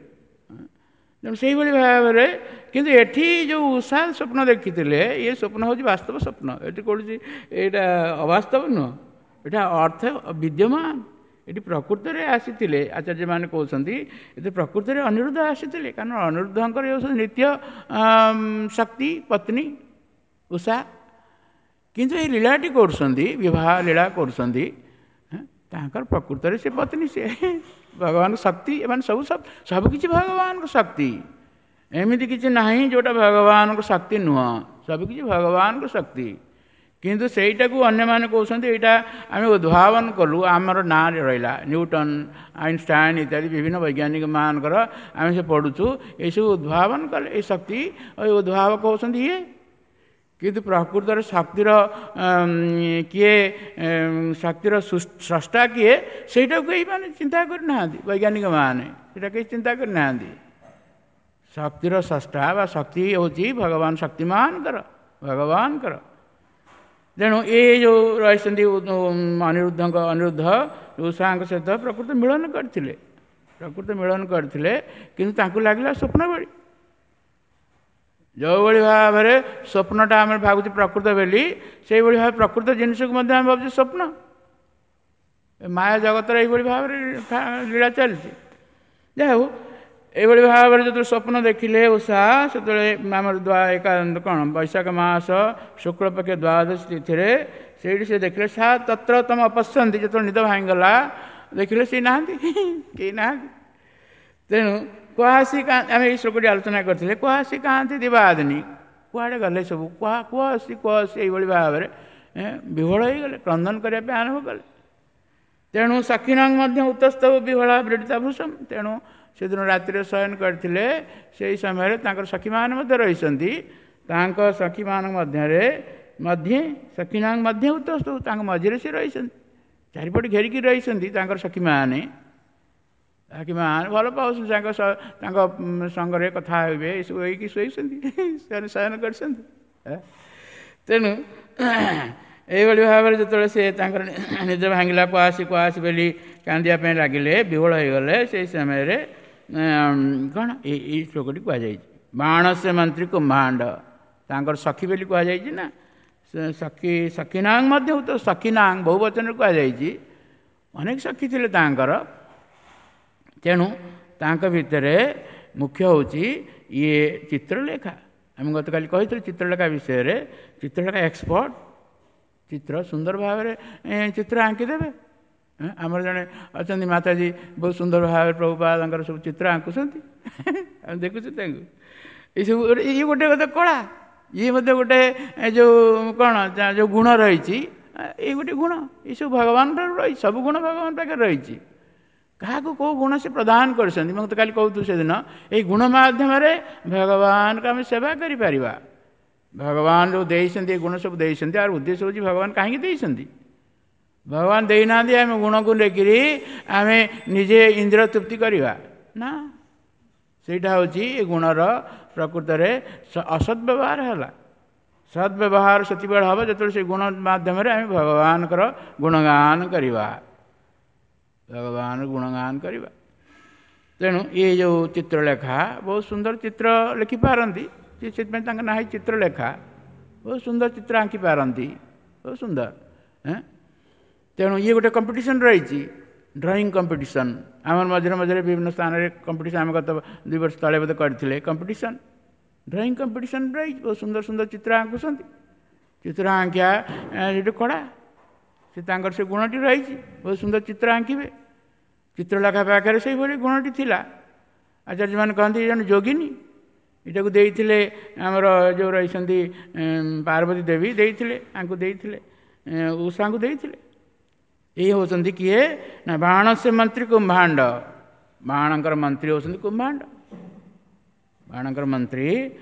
ତେଣୁ ସେଇଭଳି ଭାବରେ, କିନ୍ତୁ ଏଠି ଯେଉଁ ଉଷା ସ୍ୱପ୍ନ ଦେଖିଥିଲେ, ଇଏ ସ୍ୱପ୍ନ ହେଉଛି ବାସ୍ତବ ସ୍ୱପ୍ନ। ଏଠି କୌଣସି ଏଇଟା ଅବାସ୍ତବ ନୁହଁ, ଏଇଟା ଅର୍ଥ ବିଦ୍ୟମାନ। ଏଠି ପ୍ରକୃତରେ ଆସିଥିଲେ, ଆଚାର୍ଯ୍ୟମାନେ କହୁଛନ୍ତି ଏଠି ପ୍ରକୃତରେ ଅନିରୁଦ୍ଧ ଆସିଥିଲେ, କାରଣ ଅନିରୁଦ୍ଧଙ୍କର ହେଉଛନ୍ତି ନିତ୍ୟ ଶକ୍ତି ପତ୍ନୀ ଉଷା। କିନ୍ତୁ ଏଇ ଲୀଳାଟି କରୁଛନ୍ତି, ବିବାହ ଲୀଳା କରୁଛନ୍ତି, ତାଙ୍କର ପ୍ରକୃତରେ ସେ ପତ୍ନୀ, ସେ ଭଗବାନଙ୍କ ଶକ୍ତି। ଏମାନେ ସବୁ ସବୁକିଛି ଭଗବାନଙ୍କ ଶକ୍ତି, ଏମିତି କିଛି ନାହିଁ ଯେଉଁଟା ଭଗବାନଙ୍କ ଶକ୍ତି ନୁହଁ, ସବୁକିଛି ଭଗବାନଙ୍କ ଶକ୍ତି। କିନ୍ତୁ ସେଇଟାକୁ ଅନ୍ୟମାନେ କହୁଛନ୍ତି ଏଇଟା ଆମେ ଉଦ୍ଭାବନ କଲୁ, ଆମର ନାଁରେ ରହିଲା, ନ୍ୟୁଟନ୍, ଆଇନଷ୍ଟାଇନ୍ ଇତ୍ୟାଦି ବିଭିନ୍ନ ବୈଜ୍ଞାନିକମାନଙ୍କର ଆମେ ସେ ପଢ଼ୁଛୁ, ଏସବୁ ଉଦ୍ଭାବନ କଲେ, ଏଇ ଶକ୍ତି ଉଦ୍ଭାବକ ହେଉଛନ୍ତି ଇଏ। କିନ୍ତୁ ପ୍ରକୃତରେ ଶକ୍ତିର କିଏ, ଶକ୍ତିର ସ୍ରଷ୍ଟା କିଏ, ସେଇଟାକୁ କେହି ମାନେ ଚିନ୍ତା କରିନାହାନ୍ତି, ବୈଜ୍ଞାନିକମାନେ ସେଇଟା କେହି ଚିନ୍ତା କରିନାହାନ୍ତି। ଶକ୍ତିର ସ୍ରଷ୍ଟା ବା ଶକ୍ତି ହେଉଛି ଭଗବାନ ଶକ୍ତିମାନଙ୍କର, ଭଗବାନଙ୍କର। ତେଣୁ ଏ ଯେଉଁ ରହିଛନ୍ତି ଅନିରୁଦ୍ଧଙ୍କ, ଅନିରୁଦ୍ଧ ଉଷାଙ୍କ ସହିତ ପ୍ରକୃତ ମିଳନ କରିଥିଲେ, ପ୍ରକୃତ ମିଳନ କରିଥିଲେ, କିନ୍ତୁ ତାଙ୍କୁ ଲାଗିଲା ସ୍ୱପ୍ନ ଭଳି। ଯେଉଁଭଳି ଭାବରେ ସ୍ୱପ୍ନଟା ଆମେ ଭାବୁଛୁ ପ୍ରକୃତ ବୋଲି, ସେଇଭଳି ଭାବେ ପ୍ରକୃତ ଜିନିଷକୁ ମଧ୍ୟ ଆମେ ଭାବୁଛୁ ସ୍ୱପ୍ନ। ମାୟା ଜଗତର ଏଇଭଳି ଭାବରେ ଲୀଳା ଚାଲିଛି। ଯାହା ହଉ, ଏଇଭଳି ଭାବରେ ଯେତେବେଳେ ସ୍ୱପ୍ନ ଦେଖିଲେ ଉଷା, ସେତେବେଳେ ଆମର ଏକା କ'ଣ ବୈଶାଖ ମାସ ଶୁକ୍ଳପକ୍ଷ ଦ୍ୱାଦଶ ତିଥିରେ ସେଇଠି ସେ ଦେଖିଲେ ସା ତତ୍ର ତମ ଅପଶ୍ୟନ୍ତି। ଯେତେବେଳେ ନିଦ ଭାଙ୍ଗିଗଲା ଦେଖିଲେ ସେ ନାହାନ୍ତି, କେହି ନାହାନ୍ତି। ତେଣୁ କୁହାସି, ଆମେ ଏଇ ଶ୍ଲୋକଟି ଆଲୋଚନା କରିଥିଲେ, କୁହାସି କାହାନ୍ତି ଦିବାଦିନୀ, କୁଆଡ଼େ ଗଲେ ସବୁ, କୁହା କୁହ ଆସି କୁହ ଆସି, ଏଇଭଳି ଭାବରେ ବିହ୍ୱଳ ହେଇଗଲେ, କ୍ରନ୍ଦନ କରିବା ପାଇଁ ଆରମ୍ଭ କଲେ। ତେଣୁ ସଖିନଂ ମଧ୍ୟ ଉତସ୍ତବ ବିହ୍ୱଳା ବ୍ରୀଡ଼ିତା ଭୂଷମ। ତେଣୁ ସେଦିନ ରାତିରେ ଶୟନ କରିଥିଲେ, ସେଇ ସମୟରେ ତାଙ୍କର ସଖୀମାନେ ମଧ୍ୟ ରହିଛନ୍ତି। ତାଙ୍କ ସଖୀମାନଙ୍କ ମଧ୍ୟରେ ମଧ୍ୟ ସଖିନାଙ୍କ ମଧ୍ୟ ଉତସ୍ତବ, ତାଙ୍କ ମଝିରେ ସେ ରହିଛନ୍ତି, ଚାରିପଟେ ଘେରିକି ରହିଛନ୍ତି ତାଙ୍କର ସଖୀମାନେ। ସଖୀମାନେ ଭଲ ପାଉଛନ୍ତି, ତାଙ୍କ ତାଙ୍କ ସଙ୍ଗରେ କଥା ହେବେ, ଏସବୁ ହେଇକି ଶୋଇଛନ୍ତି, ସେମାନେ ଶୟନ କରିଛନ୍ତି। ତେଣୁ ଏଇଭଳି ଭାବରେ ଯେତେବେଳେ ସେ ତାଙ୍କର ନିଦ ଭାଙ୍ଗିଲା, କୁଆସି କୁଆସି ବୋଲି କାନ୍ଦିବା ପାଇଁ ଲାଗିଲେ, ବିହ୍ୱଳ ହେଇଗଲେ, ସେଇ ସମୟରେ କ'ଣ ଏଇ ଏଇ ଶ୍ଲୋକଟି କୁହାଯାଇଛି। ବାଣସ୍ୟ ମନ୍ତ୍ରୀ କୁମ୍ଭାଣ୍ଡ, ତାଙ୍କର ସଖୀ ବୋଲି କୁହାଯାଇଛି ନା, ସଖୀ ସଖୀନାଂ ମଧ୍ୟ ତ ସଖୀନାଂ ବହୁ ବଚନରେ କୁହାଯାଇଛି, ଅନେକ ସଖୀ ଥିଲେ ତାଙ୍କର। ତେଣୁ ତାଙ୍କ ଭିତରେ ମୁଖ୍ୟ ହେଉଛି ଇଏ ଚିତ୍ରଲେଖା। ଆମେ ଗତକାଲି କହିଥିଲୁ ଚିତ୍ରଲେଖା ବିଷୟରେ। ଚିତ୍ରଲେଖା ଏକ୍ସପର୍ଟ, ଚିତ୍ର ସୁନ୍ଦର ଭାବରେ ଚିତ୍ର ଆଙ୍କିଦେବେ। ଆମର ଜଣେ ଅଛନ୍ତି ମାତାଜୀ, ବହୁତ ସୁନ୍ଦର ଭାବରେ ପ୍ରଭୁପାଦଙ୍କର ସବୁ ଚିତ୍ର ଆଙ୍କୁଛନ୍ତି, ଆମେ ଦେଖୁଛୁ ତାଙ୍କୁ। ଏସବୁ ଇଏ ଗୋଟେ କଥା କଳା, ଇଏ ମଧ୍ୟ ଗୋଟେ ଯେଉଁ କ'ଣ ଯେଉଁ ଗୁଣ ରହିଛି, ଏଇ ଗୋଟେ ଗୁଣ, ଏସବୁ ଭଗବାନ ଠାରୁ ରହିଛି, ସବୁ ଗୁଣ ଭଗବାନ ପାଖରେ ରହିଛି। କାହାକୁ କେଉଁ ଗୁଣ ସେ ପ୍ରଦାନ କରିଛନ୍ତି, ମୁଁ ତ କାଲି କହୁଥିଲି ସେଦିନ, ଏଇ ଗୁଣ ମାଧ୍ୟମରେ ଭଗବାନଙ୍କୁ ଆମେ ସେବା କରିପାରିବା। ଭଗବାନ ଯେଉଁ ଦେଇଛନ୍ତି ଏ ଗୁଣ ସବୁ ଦେଇଛନ୍ତି, ଆର ଉଦ୍ଦେଶ୍ୟ ହେଉଛି ଭଗବାନ କାହିଁକି ଦେଇଛନ୍ତି? ଭଗବାନ ଦେଇନାହାନ୍ତି ଆମେ ଗୁଣକୁ ନେଇକିରି ଆମେ ନିଜେ ଇନ୍ଦ୍ର ତୃପ୍ତି କରିବା ନା, ସେଇଟା ହେଉଛି ଏ ଗୁଣର ପ୍ରକୃତରେ ଅସଦ୍ ବ୍ୟବହାର ହେଲା। ସଦ୍ ବ୍ୟବହାର ସେତିକିବେଳେ ହେବ ଯେତେବେଳେ ସେ ଗୁଣ ମାଧ୍ୟମରେ ଆମେ ଭଗବାନଙ୍କର ଗୁଣଗାନ କରିବା, ଭଗବାନ ଗୁଣଗାନ କରିବା। ତେଣୁ ଇଏ ଯେଉଁ ଚିତ୍ରଲେଖା, ବହୁତ ସୁନ୍ଦର ଚିତ୍ର ଲେଖିପାରନ୍ତି, ସେଥିପାଇଁ ତାଙ୍କ ନାଁ ହେଇଛି ଚିତ୍ରଲେଖା। ବହୁତ ସୁନ୍ଦର ଚିତ୍ର ଆଙ୍କିପାରନ୍ତି, ବହୁତ ସୁନ୍ଦର। ତେଣୁ ଇଏ ଗୋଟେ କମ୍ପିଟିସନ୍ ରହିଛି, ଡ୍ରଇଂ କମ୍ପିଟିସନ୍। ଆମର ମଝିରେ ମଝିରେ ବିଭିନ୍ନ ସ୍ଥାନରେ କମ୍ପିଟିସନ୍, ଆମେ ଗତ ଦୁଇ ବର୍ଷ ତଳେ ବୋଧେ କରିଥିଲେ କମ୍ପିଟିସନ୍, ଡ୍ରଇଂ କମ୍ପିଟିସନ୍ ରହିଛି। ବହୁତ ସୁନ୍ଦର ସୁନ୍ଦର ଚିତ୍ର ଆଙ୍କୁଛନ୍ତି, ଚିତ୍ର ଆଙ୍କିବା ସେଠି କଳା, ସେ ତାଙ୍କର ସେ ଗୁଣଟି ରହିଛି, ବହୁତ ସୁନ୍ଦର ଚିତ୍ର ଆଙ୍କିବେ। ଚିତ୍ରଲେଖା ପାଖରେ ସେଇଭଳି ଗୁଣଟି ଥିଲା। ଆଚାର୍ଯ୍ୟମାନେ କହନ୍ତି ଏ ଜଣେ ଯୋଗିନୀ, ଏଇଟାକୁ ଦେଇଥିଲେ ଆମର ଯେଉଁ ରହିଛନ୍ତି ପାର୍ବତୀ ଦେବୀ ଦେଇଥିଲେ, ଆଙ୍କୁ ଦେଇଥିଲେ, ଉଷାଙ୍କୁ ଦେଇଥିଲେ। ଏଇ ହେଉଛନ୍ତି କିଏ ନା ବାଣସ୍ୟ ମନ୍ତ୍ରୀ କୁମ୍ଭାଣ୍ଡ। ବାଣଙ୍କର ମନ୍ତ୍ରୀ ହେଉଛନ୍ତି କୁମ୍ଭାଣ୍ଡ। ବାଣଙ୍କର ମନ୍ତ୍ରୀ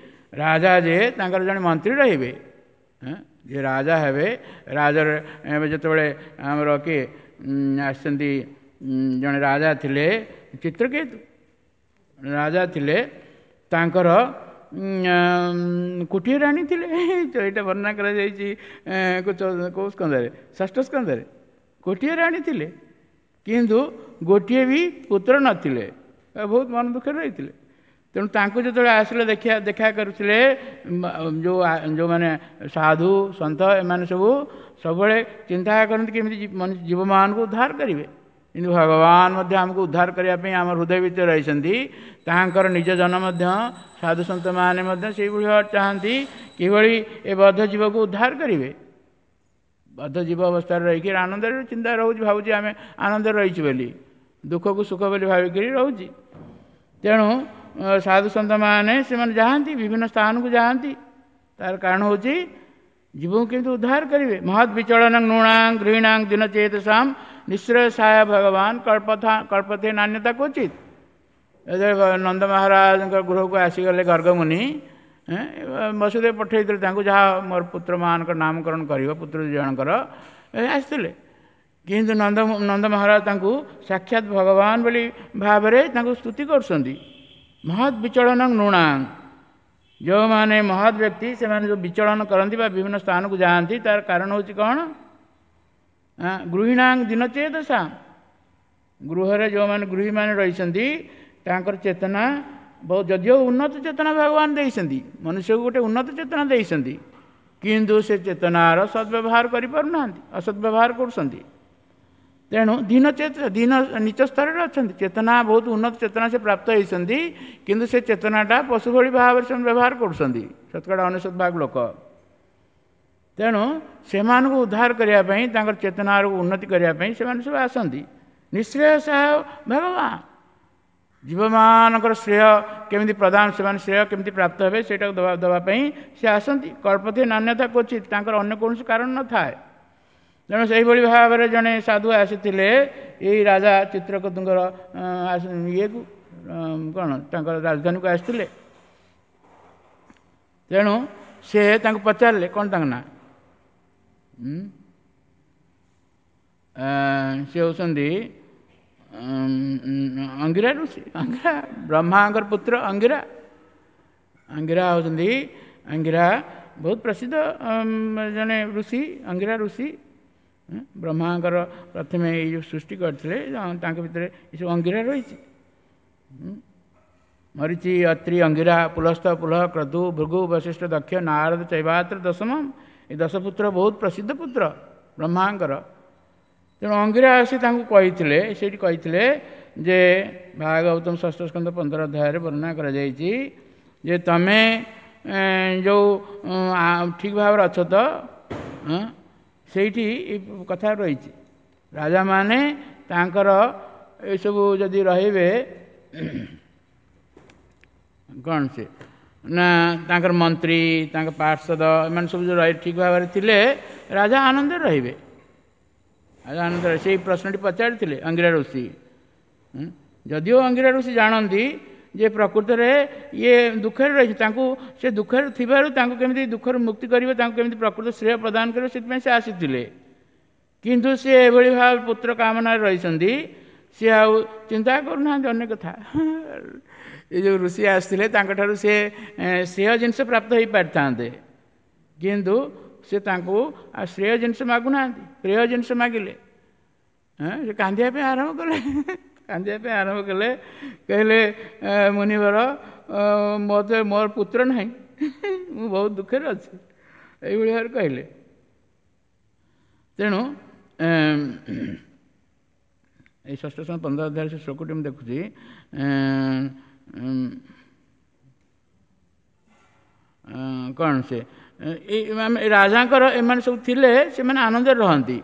ରାଜା, ଯେ ତାଙ୍କର ଜଣେ ମନ୍ତ୍ରୀ ରହିବେ, ଯିଏ ରାଜା ହେବେ। ରାଜାର ଏବେ ଯେତେବେଳେ ଆମର କିଏ ଆସିଛନ୍ତି, ଜଣେ ରାଜା ଥିଲେ ଚିତ୍ରକେତୁ ରାଜା ଥିଲେ, ତାଙ୍କର କୋଟିଏ ରାଣୀ ଥିଲେ। ଏଇଟା ବର୍ଣ୍ଣନା କରାଯାଇଛି କେଉଁ ସ୍କନ୍ଧରେ? ଷଷ୍ଠ ସ୍କନ୍ଧରେ। କୋଟିଏ ରାଣୀ ଥିଲେ, କିନ୍ତୁ ଗୋଟିଏ ବି ପୁତ୍ର ନଥିଲେ, ବହୁତ ମନ ଦୁଃଖରେ ରହିଥିଲେ। ତେଣୁ ତାଙ୍କୁ ଯେତେବେଳେ ଆସିଲେ ଦେଖିବା ଦେଖା କରୁଥିଲେ ଯେଉଁ ଯେଉଁମାନେ ସାଧୁ ସନ୍ଥ, ଏମାନେ ସବୁ ସବୁବେଳେ ଚିନ୍ତା କରନ୍ତି କେମିତି ଜୀବମାନଙ୍କୁ ଉଦ୍ଧାର କରିବେ। କିନ୍ତୁ ଭଗବାନ ମଧ୍ୟ ଆମକୁ ଉଦ୍ଧାର କରିବା ପାଇଁ ଆମ ହୃଦୟ ଭିତରେ ରହିଛନ୍ତି। ତାଙ୍କର ନିଜ ଜନ ମଧ୍ୟ ସାଧୁ ସନ୍ଥମାନେ ମଧ୍ୟ ସେଇଭଳି ଚାହାନ୍ତି କିଭଳି ଏ ବଦ୍ଧ ଜୀବକୁ ଉଦ୍ଧାର କରିବେ। ବଦ୍ଧ ଜୀବ ଅବସ୍ଥାରେ ରହିକି ଆନନ୍ଦରେ ଚିନ୍ତା ରହୁଛି, ଭାବୁଛି ଆମେ ଆନନ୍ଦରେ ରହିଛୁ ବୋଲି, ଦୁଃଖକୁ ସୁଖ ବୋଲି ଭାବିକିରି ରହୁଛି। ତେଣୁ ସାଧୁ ସନ୍ଥମାନେ ସେମାନେ ଯାଆନ୍ତି, ବିଭିନ୍ନ ସ୍ଥାନକୁ ଯାଆନ୍ତି। ତାର କାରଣ ହେଉଛି ଜୀବକୁ କେମିତି ଉଦ୍ଧାର କରିବେ। ମହତ୍ ବିଚଳନ ନୃଣାଂ ଗୃହିଣାଂ ଦିନଚେତସାಂ ନିଶ୍ରୟ ସାୟ ଭଗବାନ କଳ୍ପଥା କଳ୍ପତେ ନାନ୍ୟତା କ୍ୱଚିତ୍। ଯେତେବେଳେ ନନ୍ଦ ମହାରାଜଙ୍କ ଗୃହକୁ ଆସିଗଲେ ଗର୍ଗମୁନି, ବସୁଦେବ ପଠେଇଥିଲେ ତାଙ୍କୁ, ଯାହା ମୋର ପୁତ୍ରମାନଙ୍କର ନାମକରଣ କରିବ, ପୁତ୍ର ଦୁଇ ଜଣଙ୍କର ଆସିଥିଲେ। କିନ୍ତୁ ନନ୍ଦ ନନ୍ଦ ମହାରାଜ ତାଙ୍କୁ ସାକ୍ଷାତ ଭଗବାନ ବୋଲି ଭାବରେ ତାଙ୍କୁ ସ୍ତୁତି କରୁଛନ୍ତି। ମହତ୍ ବିଚଳନ ନୃଣାଂ, ଯେଉଁମାନେ ମହତ୍ ବ୍ୟକ୍ତି ସେମାନେ ଯେଉଁ ବିଚଳନ କରନ୍ତି ବା ବିଭିନ୍ନ ସ୍ଥାନକୁ ଯାଆନ୍ତି, ତାର କାରଣ ହେଉଛି କ'ଣ? ଗୃହିଣାଂ ଦିନଚେତସା, ଗୃହରେ ଯେଉଁମାନେ ଗୃହୀମାନେ ରହିଛନ୍ତି ତାଙ୍କର ଚେତନା ବହୁତ, ଯଦିଓ ଉନ୍ନତ ଚେତନା ଭଗବାନ ଦେଇଛନ୍ତି, ମନୁଷ୍ୟକୁ ଗୋଟେ ଉନ୍ନତ ଚେତନା ଦେଇଛନ୍ତି, କିନ୍ତୁ ସେ ଚେତନାର ସଦ୍ବ୍ୟବହାର କରିପାରୁନାହାନ୍ତି, ଅସଦ୍ବ୍ୟବହାର କରୁଛନ୍ତି। ତେଣୁ ଦୀନ ଚେତ ଦୀନ ନୀଚ ସ୍ତରରେ ଅଛନ୍ତି, ଚେତନା ବହୁତ ଉନ୍ନତ ଚେତନା ସେ ପ୍ରାପ୍ତ ହେଇଛନ୍ତି, କିନ୍ତୁ ସେ ଚେତନାଟା ପଶୁ ଭଳି ଭାବରେ ସେମାନେ ବ୍ୟବହାର କରୁଛନ୍ତି, ଶତକଡ଼ା ଅନେଶତ ଭାଗ ଲୋକ। ତେଣୁ ସେମାନଙ୍କୁ ଉଦ୍ଧାର କରିବା ପାଇଁ, ତାଙ୍କର ଚେତନାର ଉନ୍ନତି କରିବା ପାଇଁ ସେମାନେ ସବୁ ଆସନ୍ତି। ନିଶ୍ଚୟ ସହାୟ ଭଗବାନ ଜୀବମାନଙ୍କର ଶ୍ରେୟ କେମିତି ପ୍ରଦାନ, ସେମାନେ ଶ୍ରେୟ କେମିତି ପ୍ରାପ୍ତ ହେବେ ସେଇଟାକୁ ଦେବା ଦେବା ପାଇଁ ସେ ଆସନ୍ତି। କଳ୍ପତେ ନାନ୍ୟତା କ୍ୱଚିତ୍, ତାଙ୍କର ଅନ୍ୟ କୌଣସି କାରଣ ନଥାଏ। ତେଣୁ ସେଇଭଳି ଭାବରେ ଜଣେ ସାଧୁ ଆସିଥିଲେ ଏଇ ରାଜା ଚିତ୍ରକେତୁଙ୍କର ଇଏକୁ କ'ଣ ତାଙ୍କର ରାଜଧାନୀକୁ ଆସିଥିଲେ। ତେଣୁ ସେ ତାଙ୍କୁ ପଚାରିଲେ, କ'ଣ ତାଙ୍କ ନାଁ? ସେ ହେଉଛନ୍ତି ଅଙ୍ଗିରା ଋଷି, ଅଙ୍ଗିରା ବ୍ରହ୍ମାଙ୍କର ପୁତ୍ର ଅଙ୍ଗିରା। ଅଙ୍ଗିରା ହେଉଛନ୍ତି, ଅଙ୍ଗିରା ବହୁତ ପ୍ରସିଦ୍ଧ ଜଣେ ଋଷି। ଅଙ୍ଗିରା ଋଷି ବ୍ରହ୍ମାଙ୍କର ପ୍ରଥମେ ଏଇ ଯେଉଁ ସୃଷ୍ଟି କରିଥିଲେ, ତାଙ୍କ ଭିତରେ ଏସବୁ ଅଙ୍ଗିରା ରହିଛି। ମରିଚି, ଅତ୍ରି, ଅଙ୍ଗିରା, ପୁଲସ୍ତ, ପୁଲହ, କ୍ରତୁ, ଭୃଗୁ, ବଶିଷ୍ଠ, ଦକ୍ଷ, ନାରଦ, ଚୈବାତ୍ର ଦଶମ। ଏ ଦଶ ପୁତ୍ର ବହୁତ ପ୍ରସିଦ୍ଧ ପୁତ୍ର ବ୍ରହ୍ମାଙ୍କର। ତେଣୁ ଅଙ୍ଗିରା ଆସି ତାଙ୍କୁ କହିଥିଲେ, ସେଇଠି କହିଥିଲେ ଯେ ଭାଗବତମ ଷଷ୍ଠ ସ୍କନ୍ଧ ପନ୍ଦର ଅଧ୍ୟାୟରେ ବର୍ଣ୍ଣନା କରାଯାଇଛି ଯେ ତମେ ଯେଉଁ ଠିକ୍ ଭାବରେ ଅଛ ତ, ସେଇଠି ଏ କଥା ରହିଛି। ରାଜାମାନେ ତାଙ୍କର ଏସବୁ ଯଦି ରହିବେ, କ'ଣ ସେ ନା ତାଙ୍କର ମନ୍ତ୍ରୀ, ତାଙ୍କ ପାର୍ଷଦ, ଏମାନେ ସବୁ ଯେଉଁ ରହି ଠିକ୍ ଭାବରେ ଥିଲେ, ରାଜା ଆନନ୍ଦରେ ରହିବେ। ରାଜା ଆନନ୍ଦରେ ସେଇ ପ୍ରଶ୍ନଟି ପଚାରିଥିଲେ ଅଙ୍ଗିରା ଋଷି। ଯଦିଓ ଅଙ୍ଗିରା ଋଷି ଜାଣନ୍ତି ଯେ ପ୍ରକୃତରେ ଇଏ ଦୁଃଖରେ ରହିଛି, ତାଙ୍କୁ ସେ ଦୁଃଖରେ ଥିବାରୁ ତାଙ୍କୁ କେମିତି ଦୁଃଖରୁ ମୁକ୍ତି କରିବେ, ତାଙ୍କୁ କେମିତି ପ୍ରକୃତ ଶ୍ରେୟ ପ୍ରଦାନ କରିବେ, ସେଥିପାଇଁ ସେ ଆସିଥିଲେ। କିନ୍ତୁ ସେ ଏଭଳି ଭାବେ ପୁତ୍ର କାମନାରେ ରହିଛନ୍ତି, ସିଏ ଆଉ ଚିନ୍ତା କରୁନାହାନ୍ତି ଅନ୍ୟ କଥା। ଏ ଯେଉଁ ଋଷି ଆସିଥିଲେ ତାଙ୍କଠାରୁ ସେ ଶ୍ରେୟ ଜିନିଷ ପ୍ରାପ୍ତ ହୋଇପାରିଥାନ୍ତେ, କିନ୍ତୁ ସେ ତାଙ୍କୁ ଆଉ ଶ୍ରେୟ ଜିନିଷ ମାଗୁନାହାନ୍ତି, ପ୍ରିୟ ଜିନିଷ ମାଗିଲେ। ସେ କାନ୍ଦିବା ପାଇଁ ଆରମ୍ଭ କଲେ, କାନ୍ଦିବା ପାଇଁ ଆରମ୍ଭ କଲେ। କହିଲେ, ମୁନିବର, ମୋତେ ମୋର ପୁତ୍ର ନାହିଁ, ମୁଁ ବହୁତ ଦୁଃଖରେ ଅଛି, ଏଇଭଳି ଭାବରେ କହିଲେ। ତେଣୁ ଏଇ ଷଷ୍ଠ ସମୟ ପନ୍ଦର ଅଧ୍ୟାୟ ସେ ଶ୍ଲୋକଟି ମୁଁ ଦେଖୁଛି। କ'ଣ ସେ ଏଇ ରାଜାଙ୍କର ଏମାନେ ସବୁ ଥିଲେ, ସେମାନେ ଆନନ୍ଦରେ ରହନ୍ତି,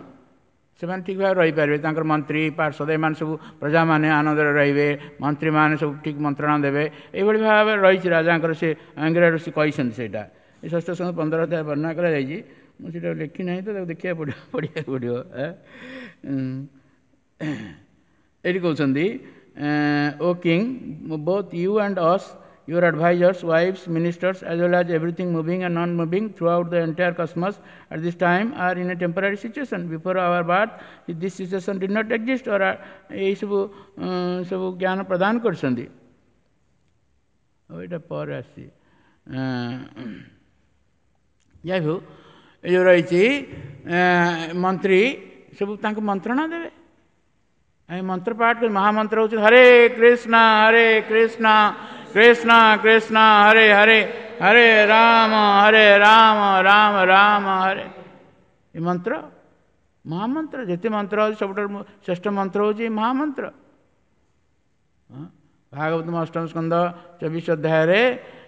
ସେମାନେ ଠିକ୍ ଭାବରେ ରହିପାରିବେ। ତାଙ୍କର ମନ୍ତ୍ରୀ, ପାର୍ଷଦ, ଏମାନେ ସବୁ ପ୍ରଜାମାନେ ଆନନ୍ଦରେ ରହିବେ, ମନ୍ତ୍ରୀମାନେ ସବୁ ଠିକ୍ ମନ୍ତ୍ରଣା ଦେବେ। ଏଇଭଳି ଭାବରେ ରହିଛି ରାଜାଙ୍କର, ସେ ଆଙ୍ଗିରା ଋଷି କହିଛନ୍ତି ସେଇଟା। ଏ ଷଷ୍ଠ ସମୟ ପନ୍ଦର ଅଧ୍ୟାୟ ବର୍ଣ୍ଣନା କରାଯାଇଛି। ମୁଁ ସେଇଟା ଲେଖି ନାହିଁ ତ, ତାକୁ ଦେଖିବାକୁ ପଡ଼ିବ, ପଢ଼ିବାକୁ ପଡ଼ିବ। ଏଇଠି କହୁଛନ୍ତି, O king, both you and us, your advisors, wives, ministers, as well as everything moving and non-moving throughout the entire cosmos at this time are in a temporary situation. Before our birth, this situation did not exist. Or ଏଇସବୁ ସବୁ ଜ୍ଞାନ ପ୍ରଦାନ କରିଛନ୍ତି। ଆଉ ଏଇଟା ପରେ ଆସିଛି। ଯାଇ ହଉ, ଏ ଯେଉଁ ରହିଛି ମନ୍ତ୍ରୀ ସବୁ ତାଙ୍କୁ ମନ୍ତ୍ରଣା ଦେବେ। ଏ ମନ୍ତ୍ର ପାଠ କରି, ମହାମନ୍ତ୍ର ହେଉଛି ହରେ କୃଷ୍ଣ ହରେ କୃଷ୍ଣ କୃଷ୍ଣ କୃଷ୍ଣ ହରେ ହରେ, ହରେ ରାମ ହରେ ରାମ ରାମ ରାମ ହରେ। ଏ ମନ୍ତ୍ର ମହାମନ୍ତ୍ର। ଯେତେ ମନ୍ତ୍ର ଅଛି ସବୁଠାରୁ ଶ୍ରେଷ୍ଠ ମନ୍ତ୍ର ହେଉଛି ଏ ମହାମନ୍ତ୍ର। ଭାଗବତ ଅଷ୍ଟମ ସ୍କନ୍ଧ ଚବିଶ ଅଧ୍ୟାୟରେ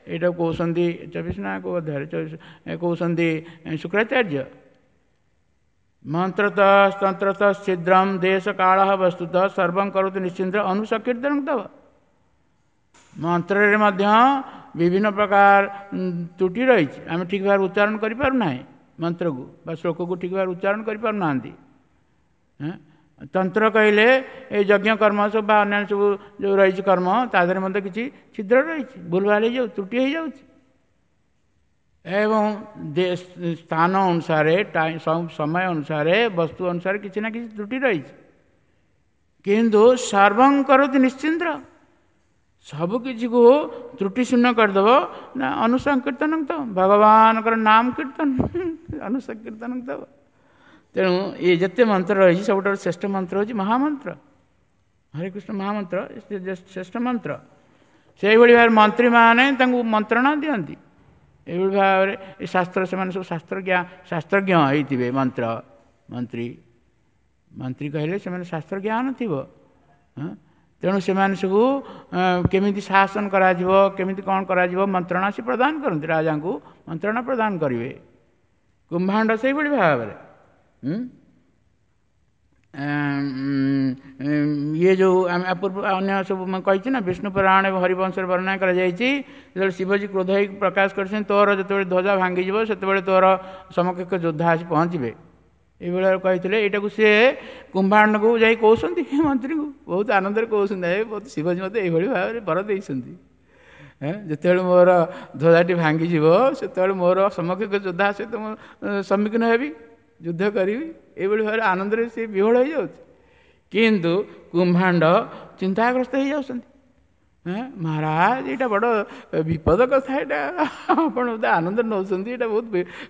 ଏଇଟା କହୁଛନ୍ତି, ଚବିଶ ନା କେଉଁ ଅଧ୍ୟାୟରେ ଚବିଶ କହୁଛନ୍ତି ଶୁକ୍ରାଚାର୍ଯ୍ୟ, ମନ୍ତ୍ରତ ତନ୍ତ୍ରତ ଛିଦ୍ରମ ଦେଶ କାଳ ବସ୍ତୁତ ସର୍ବଂ କରୋତି ନିଶ୍ଚିନ୍ତ ଅନୁସକୀର୍ତ୍ତନ ତବ। ମନ୍ତ୍ରରେ ମଧ୍ୟ ବିଭିନ୍ନ ପ୍ରକାର ତ୍ରୁଟି ରହିଛି, ଆମେ ଠିକ୍ ଭାବରେ ଉଚ୍ଚାରଣ କରିପାରୁନାହିଁ ମନ୍ତ୍ରକୁ ବା ଶ୍ଲୋକକୁ ଠିକ୍ ଭାବରେ ଉଚ୍ଚାରଣ କରିପାରୁନାହାନ୍ତି। ତନ୍ତ୍ର କହିଲେ ଏଇ ଯଜ୍ଞ କର୍ମ ସବୁ ବା ଅନ୍ୟାନ୍ୟ ସବୁ ଯେଉଁ ରହିଛି କର୍ମ, ତା ଦେହରେ ମଧ୍ୟ କିଛି ଛିଦ୍ର ରହିଛି, ଭୁଲ ଭାଲ ହେଇଯାଉଛି, ତ୍ରୁଟି ହେଇଯାଉଛି। ଏବଂ ସ୍ଥାନ ଅନୁସାରେ, ସମୟ ଅନୁସାରେ, ବସ୍ତୁ ଅନୁସାରେ କିଛି ନା କିଛି ତ୍ରୁଟି ରହିଛି। କିନ୍ତୁ ସର୍ବଂ କରୋତି ନିଶ୍ଚିନ୍ଦ୍ର, ସବୁ କିଛିକୁ ତ୍ରୁଟି ଶୂନ୍ୟ କରିଦେବ ନା ଅନୁସଙ୍କୀର୍ତ୍ତନ ତ ଭଗବାନଙ୍କର ନାମ କୀର୍ତ୍ତନ ଅନୁସଙ୍କୀର୍ତ୍ତନ ତ। ତେଣୁ ଇଏ ଯେତେ ମନ୍ତ୍ର ରହିଛି ସବୁଠାରୁ ଶ୍ରେଷ୍ଠ ମନ୍ତ୍ର ହେଉଛି ମହାମନ୍ତ୍ର, ହରେ କୃଷ୍ଣ ମହାମନ୍ତ୍ର ଶ୍ରେଷ୍ଠ ମନ୍ତ୍ର। ସେଇଭଳି ଭାବରେ ମନ୍ତ୍ରୀମାନେ ତାଙ୍କୁ ମନ୍ତ୍ରଣା ଦିଅନ୍ତି। ଏଇଭଳି ଭାବରେ ଏ ଶାସ୍ତ୍ର, ସେମାନେ ସବୁ ଶାସ୍ତ୍ରଜ୍ଞ ଶାସ୍ତ୍ରଜ୍ଞ ହେଇଥିବେ। ମନ୍ତ୍ର ମନ୍ତ୍ରୀ ମନ୍ତ୍ରୀ କହିଲେ ସେମାନେ ଶାସ୍ତ୍ର ଜ୍ଞାନ ଥିବ। ତେଣୁ ସେମାନେ ସବୁ କେମିତି ଶାସନ କରାଯିବ, କେମିତି କ'ଣ କରାଯିବ ମନ୍ତ୍ରଣା ସେ ପ୍ରଦାନ କରନ୍ତି, ରାଜାଙ୍କୁ ମନ୍ତ୍ରଣା ପ୍ରଦାନ କରିବେ। କୁମ୍ଭାଣ୍ଡ ସେଇଭଳି ଭାବରେ ଇଏ ଯେଉଁ ଆମେ ପୂର୍ବ ଅନ୍ୟ ସବୁ ମୁଁ କହିଛି ନା, ବିଷ୍ଣୁ ପୁରାଣ ଏବଂ ହରିବଂଶରେ ବର୍ଣ୍ଣନା କରାଯାଇଛି, ଯେତେବେଳେ ଶିବଜୀ କ୍ରୋଧ ହେଇକି ପ୍ରକାଶ କରିଛନ୍ତି, ତୋର ଯେତେବେଳେ ଧ୍ୱଜା ଭାଙ୍ଗିଯିବ ସେତେବେଳେ ତୋର ସମକକ୍ଷ ଯୋଦ୍ଧା ଆସି ପହଞ୍ଚିବେ, ଏଇଭଳିଆ କହିଥିଲେ। ଏଇଟାକୁ ସିଏ କୁମ୍ଭାଣ୍ଡକୁ ଯାଇ କହୁଛନ୍ତି ମନ୍ତ୍ରୀଙ୍କୁ, ବହୁତ ଆନନ୍ଦରେ କହୁଛନ୍ତି, ଏ ଶିବଜୀ ମୋତେ ଏଇଭଳି ଭାବରେ ବର ଦେଇଛନ୍ତି, ଯେତେବେଳେ ମୋର ଧ୍ୱଜାଟି ଭାଙ୍ଗିଯିବ ସେତେବେଳେ ମୋର ସମକକ୍ଷ ଯୋଦ୍ଧା ସହିତ ମୁଁ ସମ୍ମୁଖୀନ ହେବି, ଯୁଦ୍ଧ କରିବି। ଏଇଭଳି ଭାବରେ ଆନନ୍ଦରେ ସେ ବିହ୍ୱଳ ହେଇଯାଉଛି। କିନ୍ତୁ କୁମ୍ଭାଣ୍ଡ ଚିନ୍ତାଗ୍ରସ୍ତ ହେଇଯାଉଛନ୍ତି। ହଁ ମହାରାଜ, ଏଇଟା ବଡ଼ ବିପଦ କଥା, ଏଇଟା ଆପଣ ବୋଧେ ଆନନ୍ଦ ନେଉଛନ୍ତି, ଏଇଟା ବହୁତ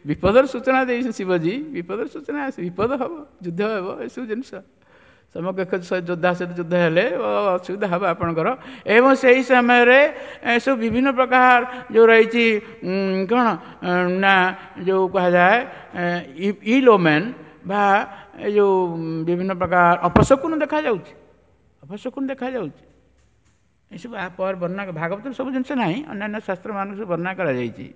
ବିପଦର ସୂଚନା ଦେଇଛନ୍ତି ଶିବଜୀ। ବିପଦର ସୂଚନା, ବିପଦ ହେବ, ଯୁଦ୍ଧ ହେବ, ଏସବୁ ଜିନିଷ ସମକକ୍ଷ ଯୋଦ୍ଧା ସହିତ ଯୁଦ୍ଧ ହେଲେ ଅସୁବିଧା ହେବ ଆପଣଙ୍କର। ଏବଂ ସେହି ସମୟରେ ଏସବୁ ବିଭିନ୍ନ ପ୍ରକାର ଯେଉଁ ରହିଛି କ'ଣ ନା ଯେଉଁ କୁହାଯାଏ ଇଲୋମେନ୍ ବା ଏ ଯେଉଁ ବିଭିନ୍ନ ପ୍ରକାର ଅପଶକୁନ ଦେଖାଯାଉଛି, ଅପଶକୁନ ଦେଖାଯାଉଛି। ଏସବୁ ଆ ପରେ ବର୍ଣ୍ଣନା, ଭାଗବତରେ ସବୁ ଜିନିଷ ନାହିଁ, ଅନ୍ୟାନ୍ୟ ଶାସ୍ତ୍ରମାନଙ୍କୁ ସବୁ ବର୍ଣ୍ଣନା କରାଯାଇଛି।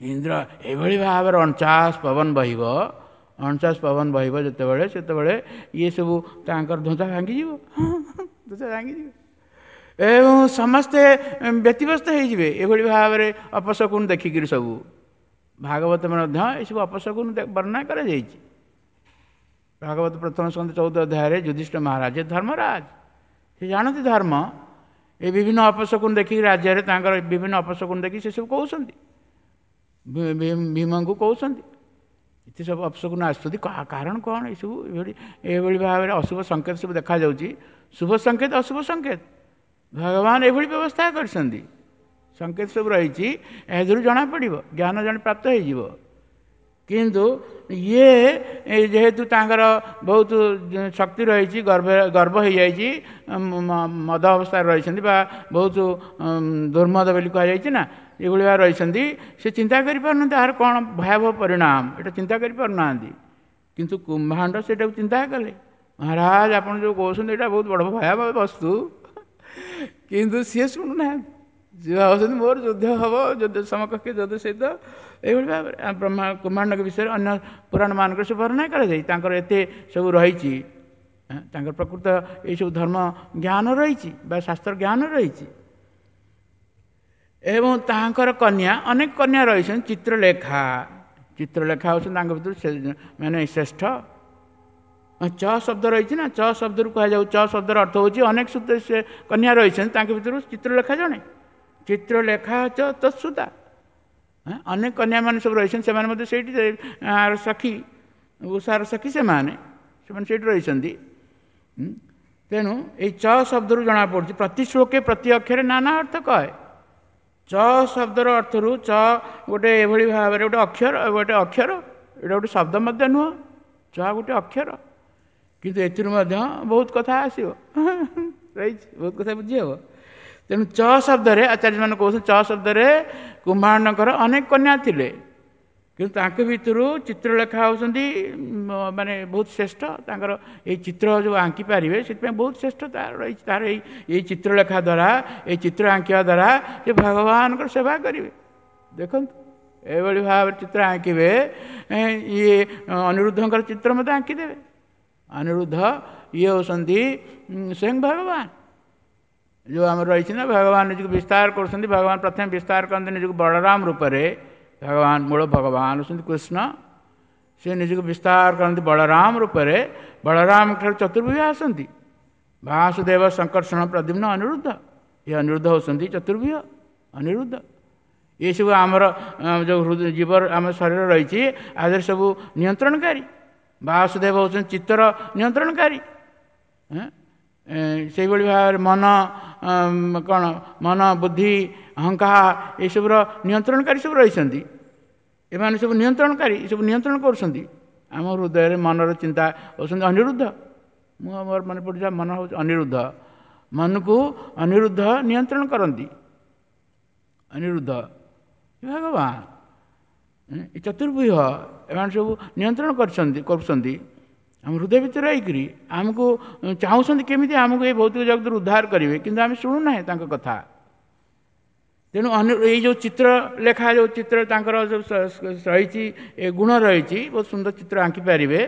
ଇନ୍ଦ୍ର ଏଭଳି ଭାବରେ ଅଣଚାଶ ପବନ ବହିବ, ଅଣଚାଶ ପବନ ବହିବ ଯେତେବେଳେ, ସେତେବେଳେ ଇଏ ସବୁ ତାଙ୍କର ଧ୍ୱଜା ଭାଙ୍ଗିଯିବ, ଧ୍ୱଜା ଭାଙ୍ଗିଯିବ ଏବଂ ସମସ୍ତେ ବ୍ୟତିବ୍ୟସ୍ତ ହେଇଯିବେ ଏଭଳି ଭାବରେ ଅପଶକୁନ ଦେଖିକିରି। ସବୁ ଭାଗବତ ମଧ୍ୟ ଏସବୁ ଅପଶକୁନ ବର୍ଣ୍ଣନା କରାଯାଇଛି। ଭାଗବତ ପ୍ରଥମ ସ୍କନ୍ଧ ଚଉଦ ଅଧ୍ୟାୟରେ ଯୁଧିଷ୍ଠିର ମହାରାଜ ଧର୍ମରାଜ, ସେ ଜାଣନ୍ତି ଧର୍ମ, ଏ ବିଭିନ୍ନ ଅପଶକୁନ ଦେଖିକି ରାଜ୍ୟରେ ତାଙ୍କର ବିଭିନ୍ନ ଅପଶକୁନ ଦେଖିକି ସେସବୁ କହୁଛନ୍ତି, ଭୀମଙ୍କୁ କହୁଛନ୍ତି ଏତେ ସବୁ ଅପଶକୁନ ଆସୁଛନ୍ତି, କାରଣ କ'ଣ? ଏସବୁ ଏଭଳି ଏଭଳି ଭାବରେ ଅଶୁଭ ସଂକେତ ସବୁ ଦେଖାଯାଉଛି। ଶୁଭ ସଂକେତ, ଅଶୁଭ ସଂକେତ, ଭଗବାନ ଏଭଳି ବ୍ୟବସ୍ଥା କରିଛନ୍ତି। ସଂକେତ ସବୁ ରହିଛି, ଏହାଦେହରୁ ଜଣାପଡ଼ିବ, ଜ୍ଞାନ ଜଣେ ପ୍ରାପ୍ତ ହେଇଯିବ। କିନ୍ତୁ ଇଏ ଯେହେତୁ ତାଙ୍କର ବହୁତ ଶକ୍ତି ରହିଛି, ଗର୍ଭ ଗର୍ବ ହେଇଯାଇଛି, ମଦ ଅବସ୍ଥାରେ ରହିଛନ୍ତି ବା ବହୁତ ଦୁର୍ମଦ ବୋଲି କୁହାଯାଇଛି ନା, ଏଭଳି ଭାବେ ରହିଛନ୍ତି, ସେ ଚିନ୍ତା କରିପାରୁନାହାନ୍ତି ଏହାର କ'ଣ ଭୟାବହ ପରିଣାମ, ଏଇଟା ଚିନ୍ତା କରିପାରୁନାହାନ୍ତି। କିନ୍ତୁ କୁମ୍ଭାଣ୍ଡ ସେଇଟାକୁ ଚିନ୍ତା କଲେ, ମହାରାଜ ଆପଣ ଯେଉଁ କହୁଛନ୍ତି ଏଇଟା ବହୁତ ବଡ଼ ଭୟାବହ ବସ୍ତୁ। କିନ୍ତୁ ସିଏ ଶୁଣୁନାହାନ୍ତି, ସିଏ ଭାବୁଛନ୍ତି ମୋର ଯୁଦ୍ଧ ହେବ, ଯୁଦ୍ଧ ସମକକ୍ଷ ଯୁଦ୍ଧ ସହିତ। ଏଇଭଳି ଭାବରେ ବ୍ରହ୍ମା କୁମ୍ଭାଣ୍ଡଙ୍କ ବିଷୟରେ ଅନ୍ୟ ପୁରାଣମାନଙ୍କରେ ସବୁ ବର୍ଣ୍ଣନା କରାଯାଇ, ତାଙ୍କର ଏତେ ସବୁ ରହିଛି, ତାଙ୍କର ପ୍ରକୃତ ଏଇସବୁ ଧର୍ମ ଜ୍ଞାନ ରହିଛି ବା ଶାସ୍ତ୍ର ଜ୍ଞାନ ରହିଛି। ଏବଂ ତାଙ୍କର କନ୍ୟା, ଅନେକ କନ୍ୟା ରହିଛନ୍ତି, ଚିତ୍ରଲେଖା, ଚିତ୍ରଲେଖା ହେଉଛନ୍ତି ତାଙ୍କ ଭିତରୁ ମାନେ ଶ୍ରେଷ୍ଠ। ଚ ଶବ୍ଦ ରହିଛି ନା, ଚ ଶବ୍ଦରୁ କୁହାଯାଉ, ଚ ଶବ୍ଦର ଅର୍ଥ ହେଉଛି ଅନେକ ସେ କନ୍ୟା ରହିଛନ୍ତି, ତାଙ୍କ ଭିତରୁ ଚିତ୍ରଲେଖା ଜଣେ। ଚିତ୍ରଲେଖା ଚ ତତ୍ସୁତା, ଅନେକ କନ୍ୟାମାନେ ସବୁ ରହିଛନ୍ତି, ସେମାନେ ମଧ୍ୟ ସେଇଠି ସଖୀ, ଉଷାର ସଖୀ ସେମାନେ, ସେମାନେ ସେଇଠି ରହିଛନ୍ତି। ତେଣୁ ଏଇ ଚ ଶବ୍ଦରୁ ଜଣାପଡ଼ୁଛି ପ୍ରତି ଶ୍ଲୋକେ ପ୍ରତି ଅକ୍ଷରେ ନାନା ଅର୍ଥ କହେ। ଚ ଶବ୍ଦର ଅର୍ଥରୁ ଚ ଗୋଟେ ଏଭଳି ଭାବରେ ଗୋଟେ ଅକ୍ଷର, ଗୋଟେ ଅକ୍ଷର, ଏଇଟା ଗୋଟେ ଶବ୍ଦ ମଧ୍ୟ ନୁହଁ, ଚ ଗୋଟେ ଅକ୍ଷର, କିନ୍ତୁ ଏଥିରୁ ମଧ୍ୟ ବହୁତ କଥା ଆସିବ ରହିଛି, ବହୁତ କଥା ବୁଝି ହେବ। ତେଣୁ ଚ ଶବ୍ଦରେ ଆଚାର୍ଯ୍ୟମାନେ କହୁଛନ୍ତି ଚ ଶବ୍ଦରେ କୁମ୍ଭାଣ୍ଡଙ୍କର ଅନେକ କନ୍ୟା ଥିଲେ, କିନ୍ତୁ ତାଙ୍କ ଭିତରୁ ଚିତ୍ରଲେଖା ହେଉଛନ୍ତି ମାନେ ବହୁତ ଶ୍ରେଷ୍ଠ। ତାଙ୍କର ଏଇ ଚିତ୍ର ଯେଉଁ ଆଙ୍କି ପାରିବେ ସେଥିପାଇଁ ବହୁତ ଶ୍ରେଷ୍ଠ ତାର ରହିଛି। ତାର ଏଇ ଏଇ ଚିତ୍ରଲେଖା ଦ୍ୱାରା, ଏଇ ଚିତ୍ର ଆଙ୍କିବା ଦ୍ୱାରା ସେ ଭଗବାନଙ୍କର ସେବା କରିବେ। ଦେଖନ୍ତୁ ଏଭଳି ଭାବରେ ଚିତ୍ର ଆଙ୍କିବେ, ଇଏ ଅନିରୁଦ୍ଧଙ୍କର ଚିତ୍ର ମଧ୍ୟ ଆଙ୍କିଦେବେ। ଅନିରୁଦ୍ଧ ଇଏ ହେଉଛନ୍ତି ସ୍ୱୟଂ ଭଗବାନ। ଯେଉଁ ଆମର ରହିଛି ନା, ଭଗବାନ ନିଜକୁ ବିସ୍ତାର କରୁଛନ୍ତି। ଭଗବାନ ପ୍ରଥମେ ବିସ୍ତାର କରନ୍ତି ନିଜକୁ ବଳରାମ ରୂପରେ। ଭଗବାନ ମୂଳ ଭଗବାନ ହେଉଛନ୍ତି କୃଷ୍ଣ, ସେ ନିଜକୁ ବିସ୍ତାର କରନ୍ତି ବଳରାମ ରୂପରେ। ବଳରାମ ଠାରୁ ଚତୁର୍ଭୁଜ ଆସନ୍ତି, ବାସୁଦେବ ଶଙ୍କର୍ଷଣ ପ୍ରଦ୍ୟୁମ୍ନ ଅନିରୁଦ୍ଧ। ଏ ଅନିରୁଦ୍ଧ ହେଉଛନ୍ତି ଚତୁର୍ଭୁଜ ଅନିରୁଦ୍ଧ। ଏସବୁ ଆମର ଯେଉଁ ଜୀବ ଆମ ଶରୀର ରହିଛି ଆଦେହରେ ସବୁ ନିୟନ୍ତ୍ରଣକାରୀ। ବାସୁଦେବ ହେଉଛନ୍ତି ଚିତ୍ତର ନିୟନ୍ତ୍ରଣକାରୀ। ସେଇଭଳି ଭାବରେ ମନ କ'ଣ, ମନ ବୁଦ୍ଧି ଅହଙ୍କାର ଏସବୁର ନିୟନ୍ତ୍ରଣକାରୀ ସବୁ ରହିଛନ୍ତି। ଏମାନେ ସବୁ ନିୟନ୍ତ୍ରଣକାରୀ, ଏସବୁ ନିୟନ୍ତ୍ରଣ କରୁଛନ୍ତି ଆମ ହୃଦୟରେ। ମନର ଚିନ୍ତା ହେଉଛନ୍ତି ଅନିରୁଦ୍ଧ। ମୁଁ ମୋର ମନେ ପଡ଼ୁଛି ମନ ହେଉଛି ଅନିରୁଦ୍ଧ। ମନକୁ ଅନିରୁଦ୍ଧ ନିୟନ୍ତ୍ରଣ କରନ୍ତି, ଅନିରୁଦ୍ଧ ଭଗବାନ। ଏ ଚତୁର୍ବ୍ୟୁହ ଏମାନେ ସବୁ ନିୟନ୍ତ୍ରଣ କରିଛନ୍ତି କରୁଛନ୍ତି ଆମ ହୃଦୟ ଭିତରେ ରହିକରି। ଆମକୁ ଚାହୁଁଛନ୍ତି କେମିତି ଆମକୁ ଏଇ ଭୌତିକ ଜଗତରୁ ଉଦ୍ଧାର କରିବେ, କିନ୍ତୁ ଆମେ ଶୁଣୁନାହେଁ ତାଙ୍କ କଥା। ତେଣୁ ଏଇ ଯେଉଁ ଚିତ୍ର ଲେଖା, ଯେଉଁ ଚିତ୍ର ତାଙ୍କର ଯେଉଁ ରହିଛି, ଏ ଗୁଣ ରହିଛି, ବହୁତ ସୁନ୍ଦର ଚିତ୍ର ଆଙ୍କି ପାରିବେ।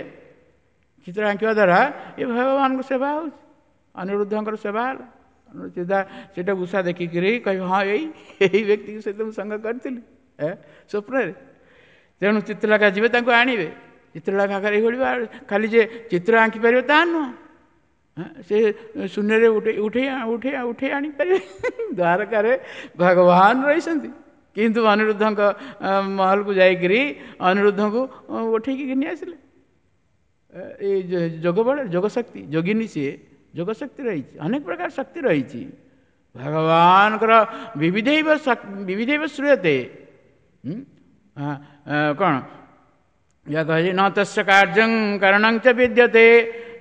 ଚିତ୍ର ଆଙ୍କିବା ଦ୍ୱାରା ଏ ଭଗବାନଙ୍କ ସେବା ହେଉଛି, ଅନିରୁଦ୍ଧଙ୍କର ସେବା ହେଲା। ଚିନ୍ତା ସେଇଟା ଉଷା ଦେଖିକିରି କହିବେ, ହଁ ଏଇ ଏଇ ବ୍ୟକ୍ତିଙ୍କ ସହିତ ମୁଁ ସଙ୍ଗ କରିଥିଲି ଏ ସ୍ୱପ୍ନରେ। ତେଣୁ ଚିତ୍ରଲେଖା ଯିବେ, ତାଙ୍କୁ ଆଣିବେ। ଚିତ୍ରଲେଖା ଏଇଭଳି ଖାଲି ଯେ ଚିତ୍ର ଆଙ୍କି ପାରିବେ ତାହା ନୁହଁ, ସେ ଶୂନ୍ୟରେ ଉଠେଇ ଉଠେଇ ଉଠେଇ ଉଠେଇ ଆଣିପାରିବେ। ଦ୍ୱାରକାରେ ଭଗବାନ ରହିଛନ୍ତି, କିନ୍ତୁ ଅନିରୁଦ୍ଧଙ୍କ ମହଲକୁ ଯାଇକରି ଅନିରୁଦ୍ଧଙ୍କୁ ଉଠେଇକି ଘିନି ଆସିଲେ। ଏଇ ଯୋଗ ବଳରେ, ଯୋଗ ଶକ୍ତି, ଯୋଗିନୀ ସିଏ, ଯୋଗ ଶକ୍ତି ରହିଛି, ଅନେକ ପ୍ରକାର ଶକ୍ତି ରହିଛି ଭଗବାନଙ୍କର। ବିବିଧୈବ ବିବିଧୈବ ଶ୍ରୂୟତେ, କ'ଣ ଯାହା କହିଛି, ନ ତସ୍ୟ କାର୍ଯ୍ୟଂ କାରଣଂ ଚ ବିଦ୍ୟତେ,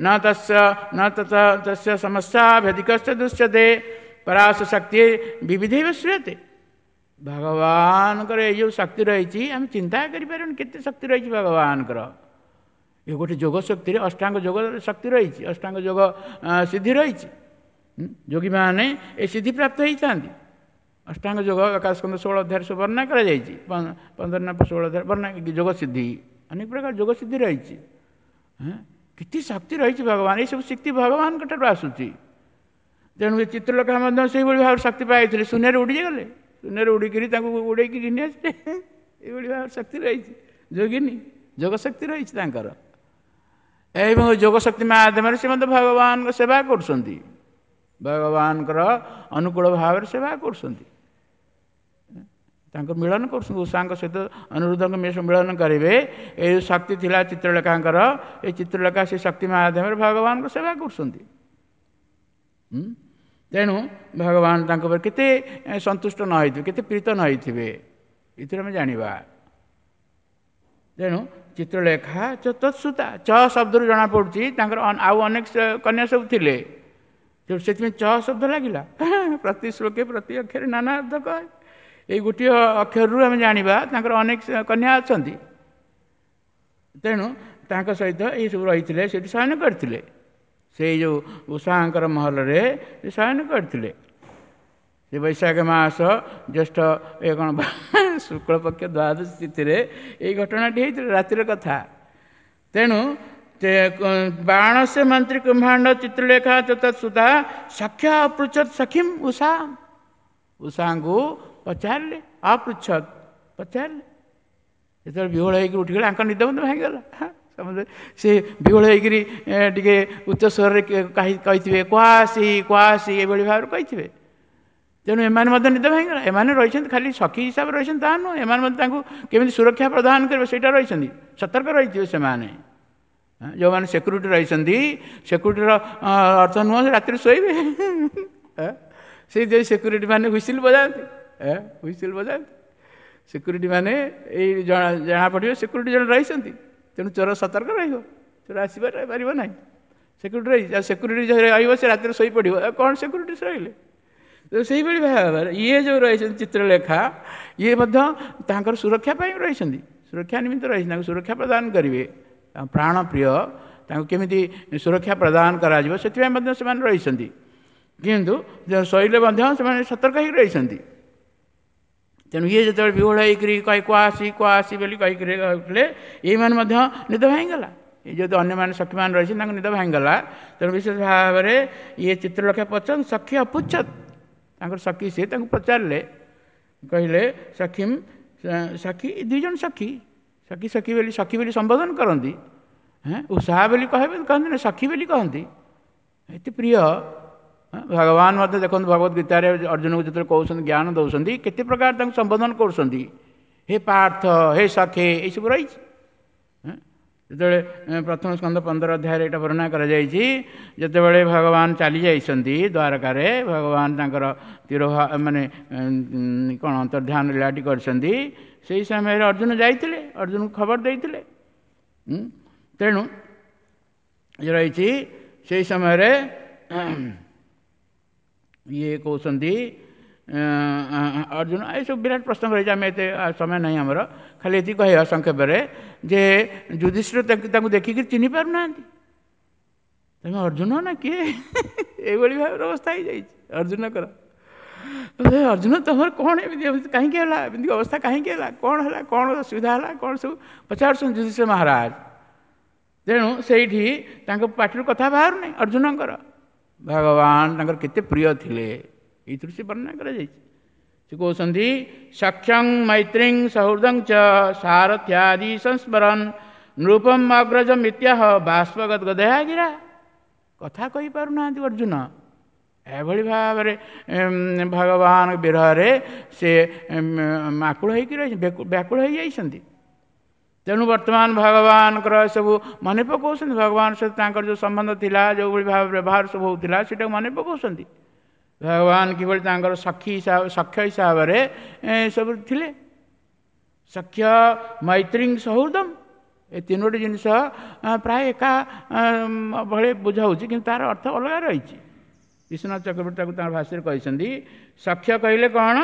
ନ ତସ୍ୟ ନ ତତ ତସ୍ୟ ସମସ୍ୟା ଭେଦିକଶ୍ଚ ଦୃଶ୍ୟତେ, ପରାଶ ଶକ୍ତି ବିବିଧୈବ ଶ୍ରୂୟତେ। ଭଗବାନଙ୍କର ଏଇ ଯେଉଁ ଶକ୍ତି ରହିଛି, ଆମେ ଚିନ୍ତା କରିପାରିବୁନି କେତେ ଶକ୍ତି ରହିଛି ଭଗବାନଙ୍କର। ଏ ଗୋଟେ ଯୋଗ ଶକ୍ତିରେ ଅଷ୍ଟାଙ୍ଗ ଯୋଗ ଶକ୍ତି ରହିଛି, ଅଷ୍ଟାଙ୍ଗ ଯୋଗ ସିଦ୍ଧି ରହିଛି। ଯୋଗୀମାନେ ଏ ସିଦ୍ଧି ପ୍ରାପ୍ତ ହେଇଥାନ୍ତି। ଅଷ୍ଟାଙ୍ଗ ଯୋଗ ଆକାଶକନ୍ଦ ଷୋହଳ ଅଧ୍ୟାୟରେ ସବୁ ବର୍ଣ୍ଣନା କରାଯାଇଛି, ପନ୍ଦର ନା ଷୋହଳ ଅଧ୍ୟାୟ ବର୍ଣ୍ଣନା। ଯୋଗ ସିଦ୍ଧି, ଅନେକ ପ୍ରକାର ଯୋଗ ସିଦ୍ଧି ରହିଛି। କେତେ ଶକ୍ତି ରହିଛି ଭଗବାନ, ଏସବୁ ଶକ୍ତି ଭଗବାନଙ୍କ ଠାରୁ ଆସୁଛି। ତେଣୁ ଏ ଚିତ୍ରଲେଖା ମଧ୍ୟ ସେଇଭଳି ଭାବରେ ଶକ୍ତି ପାଇଥିଲେ, ଶୂନ୍ୟରେ ଉଡ଼ିଗଲେ, ଶୂନ୍ୟରେ ଉଡ଼ିକିରି ତାଙ୍କୁ ଉଡ଼େଇକି ଘିନି ଆସିଲେ। ଏଇଭଳି ଭାବରେ ଶକ୍ତି ରହିଛି, ଯୋଗିନୀ ଯୋଗ ଶକ୍ତି ରହିଛି ତାଙ୍କର। ଏବଂ ଯୋଗ ଶକ୍ତି ମାଧ୍ୟମରେ ସେ ମଧ୍ୟ ଭଗବାନଙ୍କ ସେବା କରୁଛନ୍ତି, ଭଗବାନଙ୍କର ଅନୁକୂଳ ଭାବରେ ସେବା କରୁଛନ୍ତି, ତାଙ୍କୁ ମିଳନ କରୁଛନ୍ତି, ଉଷାଙ୍କ ସହିତ ଅନିରୁଦ୍ଧଙ୍କ ମିଳନ କରିବେ। ଏଇ ଯେଉଁ ଶକ୍ତି ଥିଲା ଚିତ୍ରଲେଖାଙ୍କର, ଏ ଚିତ୍ରଲେଖା ସେ ଶକ୍ତି ମାଧ୍ୟମରେ ଭଗବାନଙ୍କ ସେବା କରୁଛନ୍ତି। ତେଣୁ ଭଗବାନ ତାଙ୍କ ଉପରେ କେତେ ସନ୍ତୁଷ୍ଟ ନ ହେଇଥିବେ, କେତେ ପ୍ରୀତ ନ ହେଇଥିବେ, ଏଥିରେ ଆମେ ଜାଣିବା। ତେଣୁ ଚିତ୍ରଲେଖା ଚତୁଃସୁତା, ଚ ଶବ୍ଦରୁ ଜଣାପଡ଼ୁଛି ତାଙ୍କର ଆଉ ଅନେକ କନ୍ୟା ସବୁ ଥିଲେ, ତେଣୁ ସେଥିପାଇଁ ଚ ଶବ୍ଦ ଲାଗିଲା। ପ୍ରତି ଶ୍ଲୋକେ ପ୍ରତି ଅକ୍ଷରେ ନାନା ଅର୍ଥ କହେ। ଏଇ ଗୋଟିଏ ଅକ୍ଷରରୁ ଆମେ ଜାଣିବା ତାଙ୍କର ଅନେକ କନ୍ୟା ଅଛନ୍ତି। ତେଣୁ ତାଙ୍କ ସହିତ ଏଇସବୁ ରହିଥିଲେ, ସେଠି ଶୟନ କରିଥିଲେ, ସେଇ ଯେଉଁ ଉଷାଙ୍କର ମହଲରେ ଶୟନ କରିଥିଲେ। ସେ ବୈଶାଖ ମାସ ଜ୍ୟେଷ୍ଠ ଏ କ'ଣ ଶୁକ୍ଳପକ୍ଷ ଦ୍ୱାଦଶୀ ତିଥିରେ ଏଇ ଘଟଣାଟି ହେଇଥିଲା, ରାତିର କଥା। ତେଣୁ ବାଣସ୍ୟ ମନ୍ତ୍ରୀ କୁମ୍ଭାଣ୍ଡ ଚିତ୍ରଲେଖା ଚତୁଃସୁତା ସଖ୍ୟ ଅପୃଚ୍ଛତ୍ ସଖୀମ୍ ଉଷା, ଉଷାଙ୍କୁ ପଚାରିଲେ, ଅପୃଚ୍ଛତ୍ ପଚାରିଲେ। ଯେତେବେଳେ ବିହ୍ୱଳ ହେଇକି ଉଠିଗଲେ, ଆଙ୍କ ନିଦ ମଧ୍ୟ ଭାଙ୍ଗିଗଲା। ସମସ୍ତେ ସେ ବିହ୍ୱଳ ହେଇକିରି ଟିକେ ଉଚ୍ଚ ସ୍ୱରରେ କହିଥିବେ, କୁହାସି କୁହାସି ଏଭଳି ଭାବରେ କହିଥିବେ। ତେଣୁ ଏମାନେ ମଧ୍ୟ ନିଦ ଭାଙ୍ଗିଗଲା। ଏମାନେ ରହିଛନ୍ତି ଖାଲି ସଖୀ ହିସାବରେ ରହିଛନ୍ତି ତାହା ନୁହଁ, ଏମାନେ ମଧ୍ୟ ତାଙ୍କୁ କେମିତି ସୁରକ୍ଷା ପ୍ରଦାନ କରିବେ ସେଇଟା ରହିଛନ୍ତି, ସତର୍କ ରହିଥିବେ ସେମାନେ। ଯେଉଁମାନେ ସିକ୍ୟୁରିଟି ରହିଛନ୍ତି, ସିକ୍ୟୁରିଟିର ଅର୍ଥ ନୁହଁ ରାତିରେ ଶୋଇବେ। ସେଇ ଯେଉଁ ସିକ୍ୟୁରିଟି ମାନେ ହୁଇସିଲ୍ ବଜାନ୍ତି, ହୁଇସିଲ୍ ବଜାନ୍ତି ସିକ୍ୟୁରିଟି ମାନେ, ଏଇ ଜଣା ଜଣାପଡ଼ିବ ସିକ୍ୟୁରିଟି ଜଣେ ରହିଛନ୍ତି। ତେଣୁ ଚୋର ସତର୍କ ରହିବ, ଚୋର ଆସିବାର ପାରିବ ନାହିଁ। ସିକ୍ୟୁରିଟି ରହିଛି, ଆଉ ସିକ୍ୟୁରିଟି ରହିବ ସେ ରାତିରେ ଶୋଇପଡ଼ିବ, ଆଉ କ'ଣ ସିକ୍ୟୁରିଟି ରହିଲେ? ତ ସେଇଭଳି ଭାବରେ ଇଏ ଯେଉଁ ରହିଛନ୍ତି ଚିତ୍ରଲେଖା, ଇଏ ମଧ୍ୟ ତାଙ୍କର ସୁରକ୍ଷା ପାଇଁ ରହିଛନ୍ତି, ସୁରକ୍ଷା ନିମିତ୍ତ ରହିଛନ୍ତି, ତାଙ୍କୁ ସୁରକ୍ଷା ପ୍ରଦାନ କରିବେ। ପ୍ରାଣ ପ୍ରିୟ, ତାଙ୍କୁ କେମିତି ସୁରକ୍ଷା ପ୍ରଦାନ କରାଯିବ ସେଥିପାଇଁ ମଧ୍ୟ ସେମାନେ ରହିଛନ୍ତି। କିନ୍ତୁ ଶୋଇଲେ ମଧ୍ୟ ସେମାନେ ସତର୍କ ହେଇକି ରହିଛନ୍ତି। ତେଣୁ ଇଏ ଯେତେବେଳେ ବିହ୍ୱଳ ହେଇକରି କହି କୁହାସି କୁହାସି ବୋଲି କହିକିରି ଉଠିଲେ, ଏଇମାନେ ମଧ୍ୟ ନିଦ ଭାଙ୍ଗିଗଲା। ଏ ଯଦି ଅନ୍ୟମାନେ ସଖୀମାନେ ରହିଛନ୍ତି ତାଙ୍କୁ ନିଦ ଭାଙ୍ଗିଗଲା। ତେଣୁ ବିଶେଷ ଭାବରେ ଇଏ ଚିତ୍ରଲେଖା ପଚାରନ୍ତି, ସଖୀ ଅପୁଚ୍ଛତ୍, ତାଙ୍କର ସଖୀ ସିଏ ତାଙ୍କୁ ପଚାରିଲେ, କହିଲେ ସଖୀମ୍ ସଖୀ, ଦୁଇ ଜଣ ସଖୀ, ସଖୀ ସଖୀ ବୋଲି ସଖୀ ବୋଲି ସମ୍ବୋଧନ କରନ୍ତି, ହେଁ ଉଷା ବୋଲି କହିବେ କହନ୍ତି ନା, ସଖୀ ବୋଲି କହନ୍ତି, ଏତେ ପ୍ରିୟ। ଭଗବାନ ମଧ୍ୟ ଦେଖନ୍ତୁ ଭଗବତ ଗୀତାରେ ଅର୍ଜୁନକୁ ଯେତେବେଳେ କହୁଛନ୍ତି, ଜ୍ଞାନ ଦେଉଛନ୍ତି, କେତେ ପ୍ରକାର ତାଙ୍କୁ ସମ୍ବୋଧନ କରୁଛନ୍ତି, ହେ ପାର୍ଥ, ହେ ସଖେ, ଏଇସବୁ ରହିଛି। ଯେତେବେଳେ ପ୍ରଥମ ସ୍କନ୍ଧ ପନ୍ଦର ଅଧ୍ୟାୟରେ ଏଇଟା ବର୍ଣ୍ଣନା କରାଯାଇଛି, ଯେତେବେଳେ ଭଗବାନ ଚାଲି ଯାଇଛନ୍ତି ଦ୍ୱାରକାରେ, ଭଗବାନ ତାଙ୍କର ତୀର ମାନେ କ'ଣ ଅନ୍ତର୍ଧ୍ୟାନ ଲୀଳାଟି କରିଛନ୍ତି, ସେଇ ସମୟରେ ଅର୍ଜୁନ ଯାଇଥିଲେ, ଅର୍ଜୁନକୁ ଖବର ଦେଇଥିଲେ। ତେଣୁ ରହିଛି ସେଇ ସମୟରେ ଇଏ କହୁଛନ୍ତି ଅର୍ଜୁନ, ଏସବୁ ବିରାଟ ପ୍ରସଙ୍ଗ ରହିଛି, ଆମେ ଏତେ ସମୟ ନାହିଁ ଆମର, ଖାଲି ଏତିକି କହିବା ସଂକ୍ଷେପରେ ଯେ ଯୁଧିଷ୍ଠିର ତାଙ୍କୁ ଦେଖିକି ଚିହ୍ନି ପାରୁନାହାନ୍ତି, ତମେ ଅର୍ଜୁନ ନା କିଏ, ଏଇଭଳି ଭାବରେ ଅବସ୍ଥା ହେଇଯାଇଛି ଅର୍ଜୁନଙ୍କର। ଅର୍ଜୁନ ତମର କ'ଣ ଏମିତି ଏମିତି କାହିଁକି ହେଲା, ଏମିତି ଅବସ୍ଥା କାହିଁକି ହେଲା, କ'ଣ ହେଲା, କ'ଣ ଅସୁବିଧା ହେଲା, କ'ଣ ସବୁ ପଚାରୁଛନ୍ତି ଯୁଧିଷ୍ଠିର ମହାରାଜ। ତେଣୁ ସେଇଠି ତାଙ୍କ ପାଟିରୁ କଥା ବାହାରୁନାହିଁ ଅର୍ଜୁନଙ୍କର। ଭଗବାନ ତାଙ୍କର କେତେ ପ୍ରିୟ ଥିଲେ ଏଇଥିରୁ ସେ ବର୍ଣ୍ଣନା କରାଯାଇଛି। ସେ କହୁଛନ୍ତି ସଖ୍ୟଂ ମୈତ୍ରୀଂ ସହୃଦଂ ଚ ସାରଥ୍ୟାଦି ସଂସ୍ମରନ୍ ନୃପମ୍ ଅଗ୍ରଜ ମିତ୍ୟାହ ବାଷ୍ପଗଦଗଦୟା ଗିରା। କଥା କହିପାରୁନାହାନ୍ତି ଅର୍ଜୁନ। ଏଭଳି ଭାବରେ ଭଗବାନ ବିରହରେ ସେ ଆକୁଳ ହେଇକି ରହି ବ୍ୟାକୁଳ ହେଇଯାଇଛନ୍ତି। ତେଣୁ ବର୍ତ୍ତମାନ ଭଗବାନଙ୍କର ସବୁ ମନେ ପକାଉଛନ୍ତି, ଭଗବାନ ସହିତ ତାଙ୍କର ଯେଉଁ ସମ୍ବନ୍ଧ ଥିଲା, ଯେଉଁଭଳି ଭାବେ ବ୍ୟବହାର ସବୁ ହେଉଥିଲା, ସେଇଟାକୁ ମନେ ପକାଉଛନ୍ତି। ଭଗବାନ କିଭଳି ତାଙ୍କର ସଖୀ ହିସାବ, ସଖ୍ୟ ହିସାବରେ ସବୁ ଥିଲେ। ସଖ୍ୟ, ମୈତ୍ରୀ, ସହୃଦମ, ଏ ତିନୋଟି ଜିନିଷ ପ୍ରାୟ ଏକା ଭଳି ବୁଝାଉଛି, କିନ୍ତୁ ତାର ଅର୍ଥ ଅଲଗା ରହିଛି। ବିଶ୍ୱନାଥ ଚକ୍ରବର୍ତ୍ତୀ ତାକୁ ତାଙ୍କ ଭାଷାରେ କହିଛନ୍ତି। ସଖ୍ୟ କହିଲେ କ'ଣ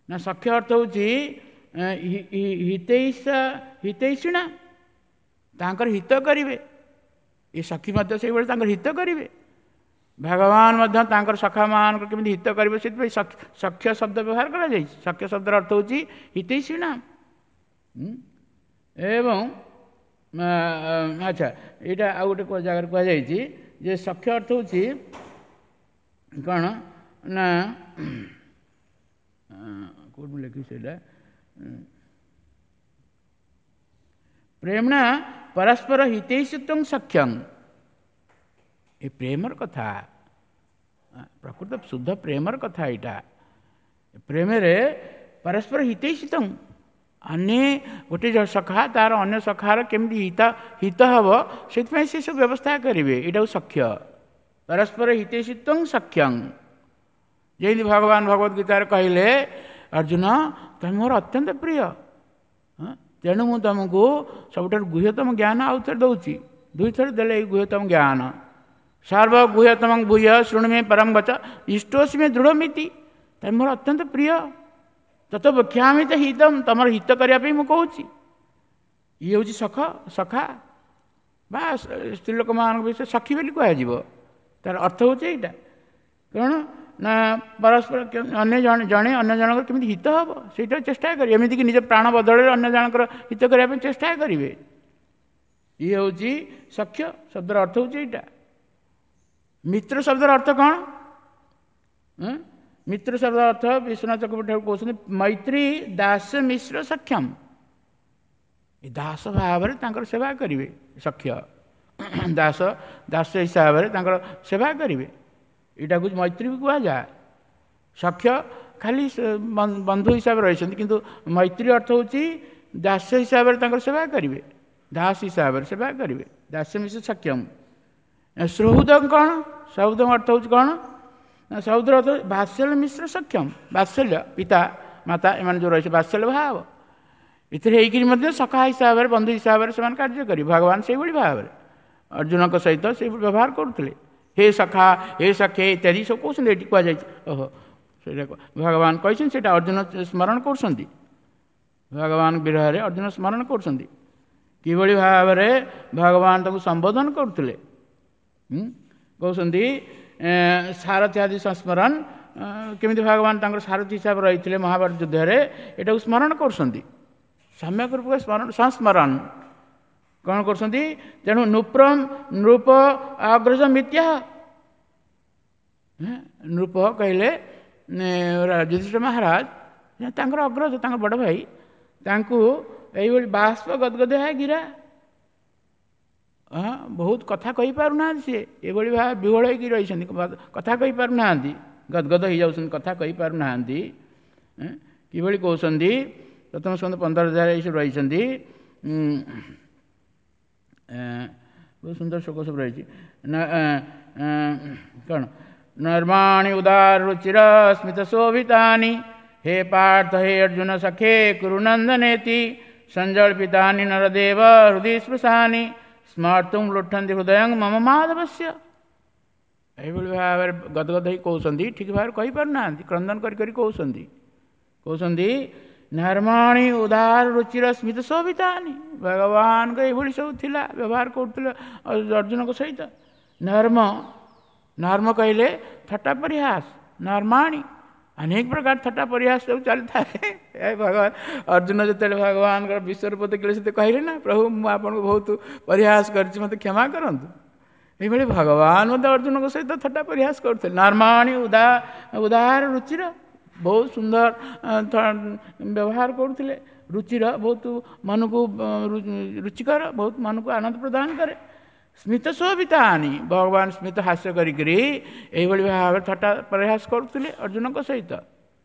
ନା, ସଖ୍ୟ ଅର୍ଥ ହେଉଛି ହିତୈଷା, ହିତୈଷିଣା, ତାଙ୍କର ହିତ କରିବେ। ଏ ସଖୀ ମଧ୍ୟ ସେଇଭଳି ତାଙ୍କର ହିତ କରିବେ। ଭଗବାନ ମଧ୍ୟ ତାଙ୍କର ସଖାମାନଙ୍କର କେମିତି ହିତ କରିବେ, ସେଥିପାଇଁ ସଖ୍ୟ ଶବ୍ଦ ବ୍ୟବହାର କରାଯାଇଛି। ସଖ୍ୟ ଶବ୍ଦର ଅର୍ଥ ହେଉଛି ହିତୈଷିଣା। ଏବଂ ଆଚ୍ଛା, ଏଇଟା ଆଉ ଗୋଟେ ଜାଗାରେ କୁହାଯାଇଛି ଯେ ସଖ୍ୟ ଅର୍ଥ ହେଉଛି କ'ଣ ନା, କେଉଁଠି ଲେଖିଛି ସେଇଟା, ପ୍ରେମଣା ପରସ୍ପର ହିତୈଷିତ୍ୱ ସଖ୍ୟଂ। ଏ ପ୍ରେମର କଥା, ପ୍ରକୃତ ଶୁଦ୍ଧ ପ୍ରେମର କଥା ଏଇଟା। ପ୍ରେମରେ ପରସ୍ପର ହିତୈଷିତ୍ୱ, ଅନ୍ୟ ଗୋଟେ ସଖା ତାର ଅନ୍ୟ ସଖାର କେମିତି ହିତ ହିତ ହେବ, ସେଥିପାଇଁ ସେ ସବୁ ବ୍ୟବସ୍ଥା କରିବେ। ଏଇଟାକୁ ସଖ୍ୟ, ପରସ୍ପର ହିତୈଷିତ୍ୱ ସଖ୍ୟଂ। ଯେମିତି ଭଗବାନ ଭଗବତ ଗୀତାରେ କହିଲେ, ଅର୍ଜୁନ ତମେ ମୋର ଅତ୍ୟନ୍ତ ପ୍ରିୟ, ତେଣୁ ମୁଁ ତୁମକୁ ସବୁଠାରୁ ଗୁହ୍ୟତମ ଜ୍ଞାନ ଆଉ ଥରେ ଦେଉଛି। ଦୁଇଥର ଦେଲେ ଏଇ ଗୁହ୍ୟତମ ଜ୍ଞାନ। ସର୍ବ ଗୁହ୍ୟତମ ଭୂୟ ଶୃଣୁ ମେ ପରମ ବଚ ଇଷ୍ଟୋସି ମେ ଦୃଢ଼ମିତି। ତମେ ମୋର ଅତ୍ୟନ୍ତ ପ୍ରିୟ, ତତ ବକ୍ଷାମି ତ ହିତମ, ତମର ହିତ କରିବା ପାଇଁ ମୁଁ କହୁଛି। ଇଏ ହେଉଛି ସଖ, ସଖା ବା ସ୍ତ୍ରୀ ଲୋକମାନଙ୍କ ବିଷୟରେ ସଖୀ ବୋଲି କୁହାଯିବ। ତାର ଅର୍ଥ ହେଉଛି ଏଇଟା, କାରଣ ନା ପରସ୍ପର ଅନ୍ୟ ଜଣେ ଜଣେ ଅନ୍ୟ ଜଣଙ୍କର କେମିତି ହିତ ହେବ ସେଇଟା ଚେଷ୍ଟା କରିବେ। ଏମିତିକି ନିଜ ପ୍ରାଣ ବଦଳରେ ଅନ୍ୟ ଜଣଙ୍କର ହିତ କରିବା ପାଇଁ ଚେଷ୍ଟା କରିବେ। ଇଏ ହେଉଛି ସଖ୍ୟ ଶବ୍ଦର ଅର୍ଥ ହେଉଛି ଏଇଟା। ମିତ୍ର ଶବ୍ଦର ଅର୍ଥ କ'ଣ? ମିତ୍ର ଶବ୍ଦର ଅର୍ଥ ବିଶ୍ୱନାଥ ଚକ୍ରବର୍ତ୍ତୀ କହୁଛନ୍ତି ମୈତ୍ରୀ ଦାସ ମିଶ୍ର ସକ୍ଷମ। ଏ ଦାସ ଭାବରେ ତାଙ୍କର ସେବା କରିବେ ସଖ୍ୟ, ଦାସ ଦାସ ହିସାବରେ ତାଙ୍କର ସେବା କରିବେ। ଏଇଟାକୁ ମୈତ୍ରୀ ବି କୁହାଯାଏ। ସଖ୍ୟ ଖାଲି ବନ୍ଧୁ ହିସାବରେ ରହିଛନ୍ତି, କିନ୍ତୁ ମୈତ୍ରୀ ଅର୍ଥ ହେଉଛି ଦାସ ହିସାବରେ ତାଙ୍କର ସେବା କରିବେ, ଦାସ ହିସାବରେ ସେବା କରିବେ, ଦାସ ମିଶ୍ର ସକ୍ଷମ। ସହୃଦ କ'ଣ? ସହୃଦ ଅର୍ଥ ହେଉଛି କ'ଣ? ସହୃଦର ଅର୍ଥ ବାତ୍ସଲ୍ୟ ମିଶ୍ର ସକ୍ଷମ। ବାତ୍ସଲ୍ୟ ପିତା ମାତା ଏମାନେ ଯେଉଁ ରହିছে ବାତ୍ସଲ୍ୟ ଭାବ, ଏଥିରେ ହେଇକିରି ମଧ୍ୟ ସଖା ହିସାବରେ ବନ୍ଧୁ ହିସାବରେ ସେମାନେ କାର୍ଯ୍ୟ କରିବେ। ଭଗବାନ ସେଇଭଳି ଭାବରେ ଅର୍ଜୁନଙ୍କ ସହିତ ସେଇଭଳି ବ୍ୟବହାର କରୁଥିଲେ। ହେ ସଖା, ହେ ସଖେ ଇତ୍ୟାଦି ସବୁ କହୁଛନ୍ତି, ଏଠି କୁହାଯାଇଛି। ଓହୋ, ସେଇଟା ଭଗବାନ କହିଛନ୍ତି, ସେଇଟା ଅର୍ଜୁନ ସ୍ମରଣ କରୁଛନ୍ତି। ଭଗବାନ ବିରହରେ ଅର୍ଜୁନ ସ୍ମରଣ କରୁଛନ୍ତି କିଭଳି ଭାବରେ ଭଗବାନ ତାକୁ ସମ୍ବୋଧନ କରୁଥିଲେ। କହୁଛନ୍ତି ସାରଥୀ ଆଦି ସଂସ୍ମରଣ, କେମିତି ଭଗବାନ ତାଙ୍କର ସାରଥୀ ହିସାବରେ ରହିଥିଲେ ମହାଭାରତ ଯୁଦ୍ଧରେ, ଏଟାକୁ ସ୍ମରଣ କରୁଛନ୍ତି। ସମ୍ୟକ ରୂପେ ସ୍ମରଣ, ସଂସ୍ମରଣ କ'ଣ କରୁଛନ୍ତି? ତେଣୁ ନୃପ୍ରମ ନୃପ ଅଗ୍ରଜ ମିଥ୍ୟା। ନୃପ କହିଲେ ଯୁଧିଷ୍ଠିର ମହାରାଜ ତାଙ୍କର ଅଗ୍ରଜ, ତାଙ୍କ ବଡ଼ ଭାଇ, ତାଙ୍କୁ ଏଇଭଳି ବାଷ୍ପ ଗଦଗଦ ଗିରା, ହଁ ବହୁତ କଥା କହିପାରୁନାହାନ୍ତି ସିଏ, ଏଭଳି ଭାବେ ବିହ୍ୱଳ ହେଇକି ରହିଛନ୍ତି, କଥା କହିପାରୁନାହାନ୍ତି, ଗଦଗଦ ହେଇଯାଉଛନ୍ତି, କଥା କହିପାରୁନାହାନ୍ତି। କିଭଳି କହୁଛନ୍ତି? ପ୍ରଥମ ସ୍କନ୍ଧ ପନ୍ଦର ହଜାର ଏଇସବୁ ରହିଛନ୍ତି, ବହୁତ ସୁନ୍ଦର ଶ୍ଲୋକ ସବୁ ରହିଛି। କ'ଣ? ନର୍ମାଣି ଉଦାର ରୁଚିର ସ୍ମିତ ଶୋଭିତାନି ହେ ପାର୍ଥ ହେ ଅର୍ଜୁନ ସଖେ କୁରୁନନ୍ଦନେତି ସଞ୍ଜଳ୍ପିତାନି ନରଦେବ ହୃଦୟ ସ୍ପୃଶାନି ସ୍ମର୍ତ୍ତୁଂ ଲୁଠନ୍ତି ହୃଦୟଂ ମମ ମାଧବସ୍ୟ। ଏଇଭଳି ଭାବରେ ଗଦଗଦ ହେଇ କହୁଛନ୍ତି, ଠିକ୍ ଭାବରେ କହିପାରୁନାହାନ୍ତି, କ୍ରନ୍ଦନ କରି କରି କହୁଛନ୍ତି। କହୁଛନ୍ତି ନର୍ମାଣି ଉଦାର ରୁଚିର ସ୍ମିତ ଶୋଭିତାନି, ଭଗବାନଙ୍କ ଏଇଭଳି ସବୁ ଥିଲା, ବ୍ୟବହାର କରୁଥିଲେ ଅର୍ଜୁନଙ୍କ ସହିତ। ନର୍ମ, ନର୍ମ କହିଲେ ଥଟ୍ଟା ପରିହାସ, ନର୍ମାଣି ଅନେକ ପ୍ରକାର ଥଟ୍ଟା ପରିହାସ ସବୁ ଚାଲିଥାଏ। ଏ ଭଗବାନ ଅର୍ଜୁନ ଯେତେବେଳେ ଭଗବାନଙ୍କର ବିଶ୍ୱରୂପ ଦେଖିଲେ, ସେତେ କହିଲେ ନା, ପ୍ରଭୁ ମୁଁ ଆପଣଙ୍କୁ ବହୁତ ପରିହାସ କରିଛି, ମୋତେ କ୍ଷମା କରନ୍ତୁ। ଏଇଭଳି ଭଗବାନ ମଧ୍ୟ ଅର୍ଜୁନଙ୍କ ସହିତ ଥଟ୍ଟା ପରିହାସ କରୁଥିଲେ। ନର୍ମାଣି ଉଦା ଉଦାର ରୁଚିର, ବହୁତ ସୁନ୍ଦର ବ୍ୟବହାର କରୁଥିଲେ, ରୁଚିର ବହୁତ ମନକୁ ରୁଚିକର, ବହୁତ ମନକୁ ଆନନ୍ଦ ପ୍ରଦାନ କରେ। ସ୍ମିତ ଶୋଭିତାନି, ଭଗବାନ ସ୍ମିତ ହାସ୍ୟ କରିକିରି ଏଇଭଳି ଭାବରେ ଥଟ୍ଟା ପରିହାସ କରୁଥିଲେ ଅର୍ଜୁନଙ୍କ ସହିତ।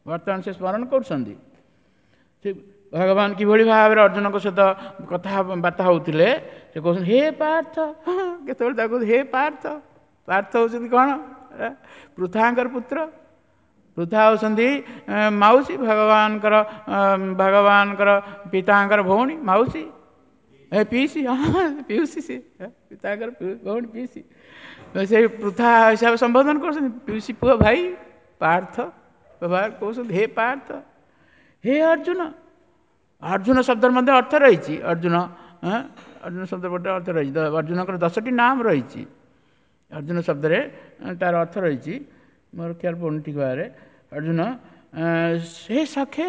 ବର୍ତ୍ତମାନ ସେ ସ୍ମରଣ କରୁଛନ୍ତି। ସେ ଭଗବାନ କିଭଳି ଭାବରେ ଅର୍ଜୁନଙ୍କ ସହିତ କଥାବାର୍ତ୍ତା ହେଉଥିଲେ, ସେ କହୁଛନ୍ତି ହେ ପାର୍ଥ। କେତେବେଳେ ତାକୁ ହେ ପାର୍ଥ, ପାର୍ଥ ହେଉଛନ୍ତି କ'ଣ? ପୃଥାଙ୍କର ପୁତ୍ର। ପୃଥା ହେଉଛନ୍ତି ମାଉସୀ, ଭଗବାନଙ୍କର ଭଗବାନଙ୍କର ପିତାଙ୍କର ଭଉଣୀ, ମାଉସୀ, ଏ ପିଇସି, ହଁ ପିଉସୀ, ସେ ପିତାଙ୍କର ଭଉଣୀ ପିଇସି। ସେଇ ପୃଥା ହିସାବରେ ସମ୍ବୋଧନ କରୁଛନ୍ତି, ପିଉସୀ ପୁଅ ଭାଇ ପାର୍ଥ ବ୍ୟବହାର କହୁଛନ୍ତି, ହେ ପାର୍ଥ, ହେ ଅର୍ଜୁନ। ଅର୍ଜୁନ ଶବ୍ଦର ମଧ୍ୟ ଅର୍ଥ ରହିଛି। ଅର୍ଜୁନ, ଅର୍ଜୁନ ଶବ୍ଦ ଗୋଟେ ଅର୍ଥ ରହିଛି। ଅର୍ଜୁନଙ୍କର ଦଶଟି ନାମ ରହିଛି। ଅର୍ଜୁନ ଶବ୍ଦରେ ତାର ଅର୍ଥ ରହିଛି, ମୋର ଖିଆଲ ପଡ଼ୁନି ଠିକ୍ ଭାବରେ। ଅର୍ଜୁନ ହେ ସଖେ,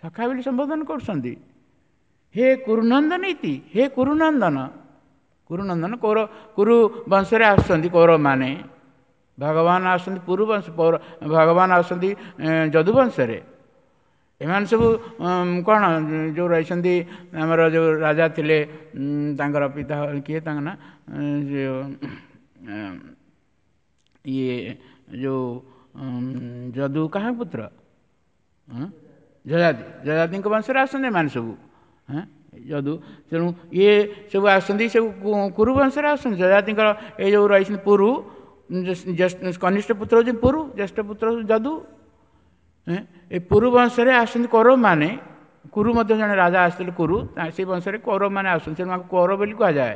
ସଖା ବୋଲି ସମ୍ବୋଧନ କରୁଛନ୍ତି। ହେ କୁରୁନନ୍ଦନ ଇତି, ହେ କୁରୁନନ୍ଦନ, କୁରୁନନ୍ଦନ କୌର କୁରୁ ବଂଶରେ ଆସୁଛନ୍ତି କୌରବମାନେ। ଭଗବାନ ଆସୁଛନ୍ତି ପୁରୁ ବଂଶ, ଭଗବାନ ଆସୁଛନ୍ତି ଯଦୁବଂଶରେ। ଏମାନେ ସବୁ କ'ଣ ଯେଉଁ ରହିଛନ୍ତି ଆମର ଯେଉଁ ରାଜା ଥିଲେ, ତାଙ୍କର ପିତା କିଏ, ତାଙ୍କ ନା ଇଏ ଯେଉଁ ଯଦୁ କାହା ପୁତ୍ର? ଯଯାତି, ଯଯାତିଙ୍କ ବଂଶରେ ଆସୁଛନ୍ତି ଏମାନେ ସବୁ, ହଁ ଯଦୁ। ତେଣୁ ଇଏ ସବୁ ଆସୁଛନ୍ତି, ସବୁ କୁରୁ ବଂଶରେ ଆସୁଛନ୍ତି। ଯଯାତିଙ୍କର ଏଇ ଯେଉଁ ରହିଛନ୍ତି ପୁରୁ, କନିଷ୍ଠ ପୁତ୍ର ହେଉଛି ପୁରୁ, ଜ୍ୟେଷ୍ଠ ପୁତ୍ର ହେଉଛି ଯଦୁ। ଏ ପୁରୁ ବଂଶରେ ଆସୁଛନ୍ତି କୌରବମାନେ। କୁରୁ ମଧ୍ୟ ଜଣେ ରାଜା ଆସିଥିଲେ କୁରୁ, ସେଇ ବଂଶରେ କୌରବମାନେ ଆସୁଛନ୍ତି, ତେଣୁ ତାଙ୍କୁ କୌରବ ବୋଲି କୁହାଯାଏ।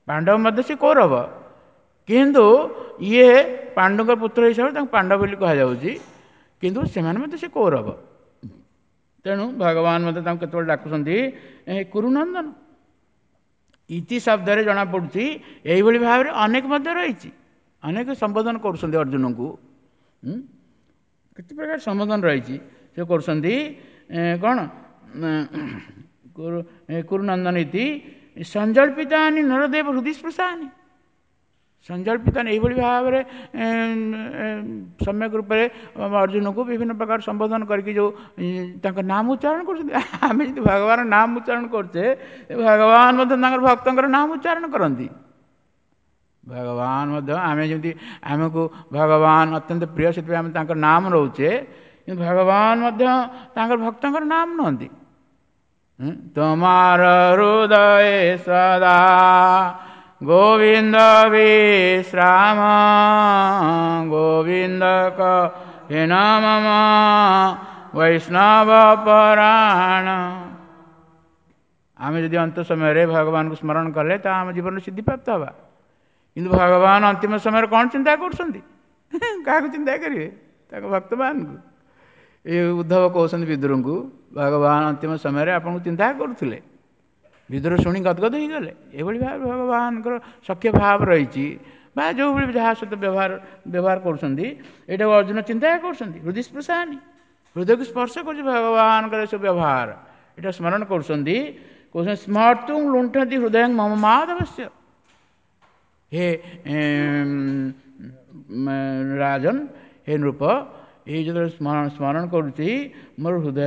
ପାଣ୍ଡବ ମଧ୍ୟ ସେ କୌରବ, କିନ୍ତୁ ଇଏ ପାଣ୍ଡୁଙ୍କ ପୁତ୍ର ହିସାବରେ ତାଙ୍କୁ ପାଣ୍ଡବ ବୋଲି କୁହାଯାଉଛି, କିନ୍ତୁ ସେମାନେ ମଧ୍ୟ ସେ କୌରବ। ତେଣୁ ଭଗବାନ ମଧ୍ୟ ତାଙ୍କୁ କେତେବେଳେ ଡାକୁଛନ୍ତି କୁରୁନନ୍ଦନ। ଇତି ଶବ୍ଦରେ ଜଣାପଡ଼ୁଛି ଏଇଭଳି ଭାବରେ ଅନେକ ମଧ୍ୟ ରହିଛି, ଅନେକ ସମ୍ବୋଧନ କରୁଛନ୍ତି ଅର୍ଜୁନଙ୍କୁ, କେତେ ପ୍ରକାର ସମ୍ବୋଧନ ରହିଛି ସେ କରୁଛନ୍ତି। କ'ଣ କୁରୁନନ୍ଦନ ଇତି ସଞ୍ଜଳ୍ପିତାନି ନରଦେବ ହୃଦୟ ସ୍ପୃଶାନି। ସଞ୍ଜଳ୍ପିତାନି ଏଇଭଳି ଭାବରେ ସମ୍ୟକ ରୂପରେ ଅର୍ଜୁନକୁ ବିଭିନ୍ନ ପ୍ରକାର ସମ୍ବୋଧନ କରିକି ଯେଉଁ ତାଙ୍କ ନାମ ଉଚ୍ଚାରଣ କରୁଛନ୍ତି। ଆମେ ଯଦି ଭଗବାନ ନାମ ଉଚ୍ଚାରଣ କରୁଛେ, ଭଗବାନ ମଧ୍ୟ ତାଙ୍କର ଭକ୍ତଙ୍କର ନାମ ଉଚ୍ଚାରଣ କରନ୍ତି। ଭଗବାନ ମଧ୍ୟ ଆମେ ଯେମିତି ଆମକୁ ଭଗବାନ ଅତ୍ୟନ୍ତ ପ୍ରିୟ, ସେଥିପାଇଁ ଆମେ ତାଙ୍କ ନାମ ରହୁଛେ, କିନ୍ତୁ ଭଗବାନ ମଧ୍ୟ ତାଙ୍କର ଭକ୍ତଙ୍କର ନାମ ନିଅନ୍ତି। ତୁମାର ହୃଦୟ ସଦା ଗୋବିନ୍ଦ ବିଶ୍ରାମ, ଗୋବିନ୍ଦ କହେ ମମ ବୈଷ୍ଣବ ପରାଣ। ଆମେ ଯଦି ଅନ୍ତ ସମୟରେ ଭଗବାନଙ୍କୁ ସ୍ମରଣ କଲେ ତ ଆମ ଜୀବନରେ ସିଦ୍ଧିପ୍ରାପ୍ତ ହେବା। କିନ୍ତୁ ଭଗବାନ ଅନ୍ତିମ ସମୟରେ କ'ଣ ଚିନ୍ତା କରୁଛନ୍ତି? କାହାକୁ ଚିନ୍ତା କରିବେ? ତାଙ୍କ ଭକ୍ତମାନଙ୍କୁ। ଏ ଉଦ୍ଧବ କହୁଛନ୍ତି ବିଦୁରଙ୍କୁ, ଭଗବାନ ଅନ୍ତିମ ସମୟରେ ଆପଣଙ୍କୁ ଚିନ୍ତା କରୁଥିଲେ। ବିଦୁର ଶୁଣି ଗଦଗଦ ହେଇଗଲେ। ଏଭଳି ଭାବେ ଭଗବାନଙ୍କର ସଖ୍ୟ ଭାବ ରହିଛି, ବା ଯେଉଁଭଳି ଯାହା ସହିତ ବ୍ୟବହାର ବ୍ୟବହାର କରୁଛନ୍ତି, ଏଇଟାକୁ ଅର୍ଜୁନ ଚିନ୍ତା କରୁଛନ୍ତି। ହୃଦୟ ସ୍ପୃଶାନି, ହୃଦୟକୁ ସ୍ପର୍ଶ କରୁଛି ଭଗବାନଙ୍କର ଏସବୁ ବ୍ୟବହାର, ଏଇଟା ସ୍ମରଣ କରୁଛନ୍ତି। କହୁଛନ୍ତି ସ୍ମର୍ତ୍ତୁଂ ଲୁଣ୍ଠନ୍ତି ହୃଦୟ ମମ ମାଧବସ୍ୟ। ହେ ରାଜନ, ହେ ନୃପ, ଏଇ ଯେତେବେଳେ ସ୍ମରଣ ସ୍ମରଣ କରୁଛି ମୋର ହୃଦୟ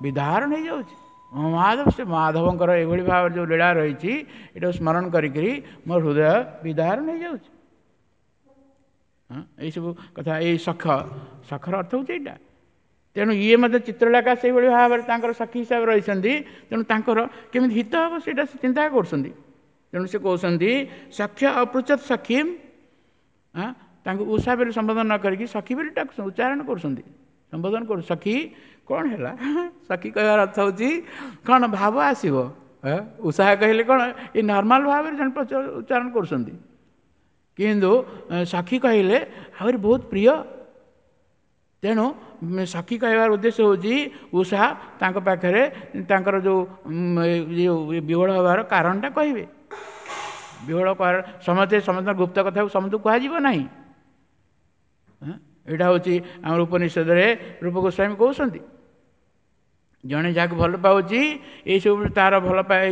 ବିଦାରଣ ହେଇଯାଉଛି। ମାଧବ, ସେ ମାଧବଙ୍କର ଏଇଭଳି ଭାବରେ ଯେଉଁ ଲୀଳା ରହିଛି, ଏଇଟାକୁ ସ୍ମରଣ କରିକିରି ମୋର ହୃଦୟ ବିଦାରଣ ହେଇଯାଉଛି। ହଁ, ଏଇସବୁ କଥା। ଏଇ ସଖ, ସଖର ଅର୍ଥ ହେଉଛି ଏଇଟା। ତେଣୁ ଇଏ ମଧ୍ୟ ଚିତ୍ରଲେଖା ସେଇଭଳି ଭାବରେ ତାଙ୍କର ସଖୀ ହିସାବରେ ରହିଛନ୍ତି। ତେଣୁ ତାଙ୍କର କେମିତି ହିତ ହେବ ସେଇଟା ସେ ଚିନ୍ତା କରୁଛନ୍ତି। ତେଣୁ ସେ କହୁଛନ୍ତି ସଖ୍ୟ ଅପୃଚ୍ଛତ ସଖୀମ୍, ତାଙ୍କୁ ଉଷା ବୋଲି ସମ୍ବୋଧନ ନ କରିକି ସଖୀ ବୋଲି ଡାକୁଛନ୍ତି, ଉଚ୍ଚାରଣ କରୁଛନ୍ତି, ସମ୍ବୋଧନ କରୁ। ସଖୀ କ'ଣ ହେଲା? ସଖୀ କହିବାର ଅର୍ଥ ହେଉଛି କ'ଣ? ଭାବ ଆସିବ। ଉଷା କହିଲେ କ'ଣ ଏ ନର୍ମାଲ ଭାବରେ ଜଣେ ଉଚ୍ଚାରଣ କରୁଛନ୍ତି, କିନ୍ତୁ ସଖୀ କହିଲେ ଆହୁରି ବହୁତ ପ୍ରିୟ। ତେଣୁ ସଖୀ କହିବାର ଉଦ୍ଦେଶ୍ୟ ହେଉଛି ଉଷା ତାଙ୍କ ପାଖରେ ତାଙ୍କର ଯେଉଁ ଯେଉଁ ବିହ୍ୱଳ ହେବାର କାରଣଟା କହିବେ। ବିହ୍ୱଳ ସମସ୍ତେ ସମସ୍ତଙ୍କ ଗୁପ୍ତ କଥାକୁ ସମସ୍ତଙ୍କୁ କୁହାଯିବ ନାହିଁ। ଏଇଟା ହେଉଛି ଆମର ଉପନିଷଦରେ ରୂପ ଗୋସ୍ୱାମୀ କହୁଛନ୍ତି, ଜଣେ ଯାହାକୁ ଭଲ ପାଉଛି ଏଇସବୁ ତାର ଭଲ ପାଏ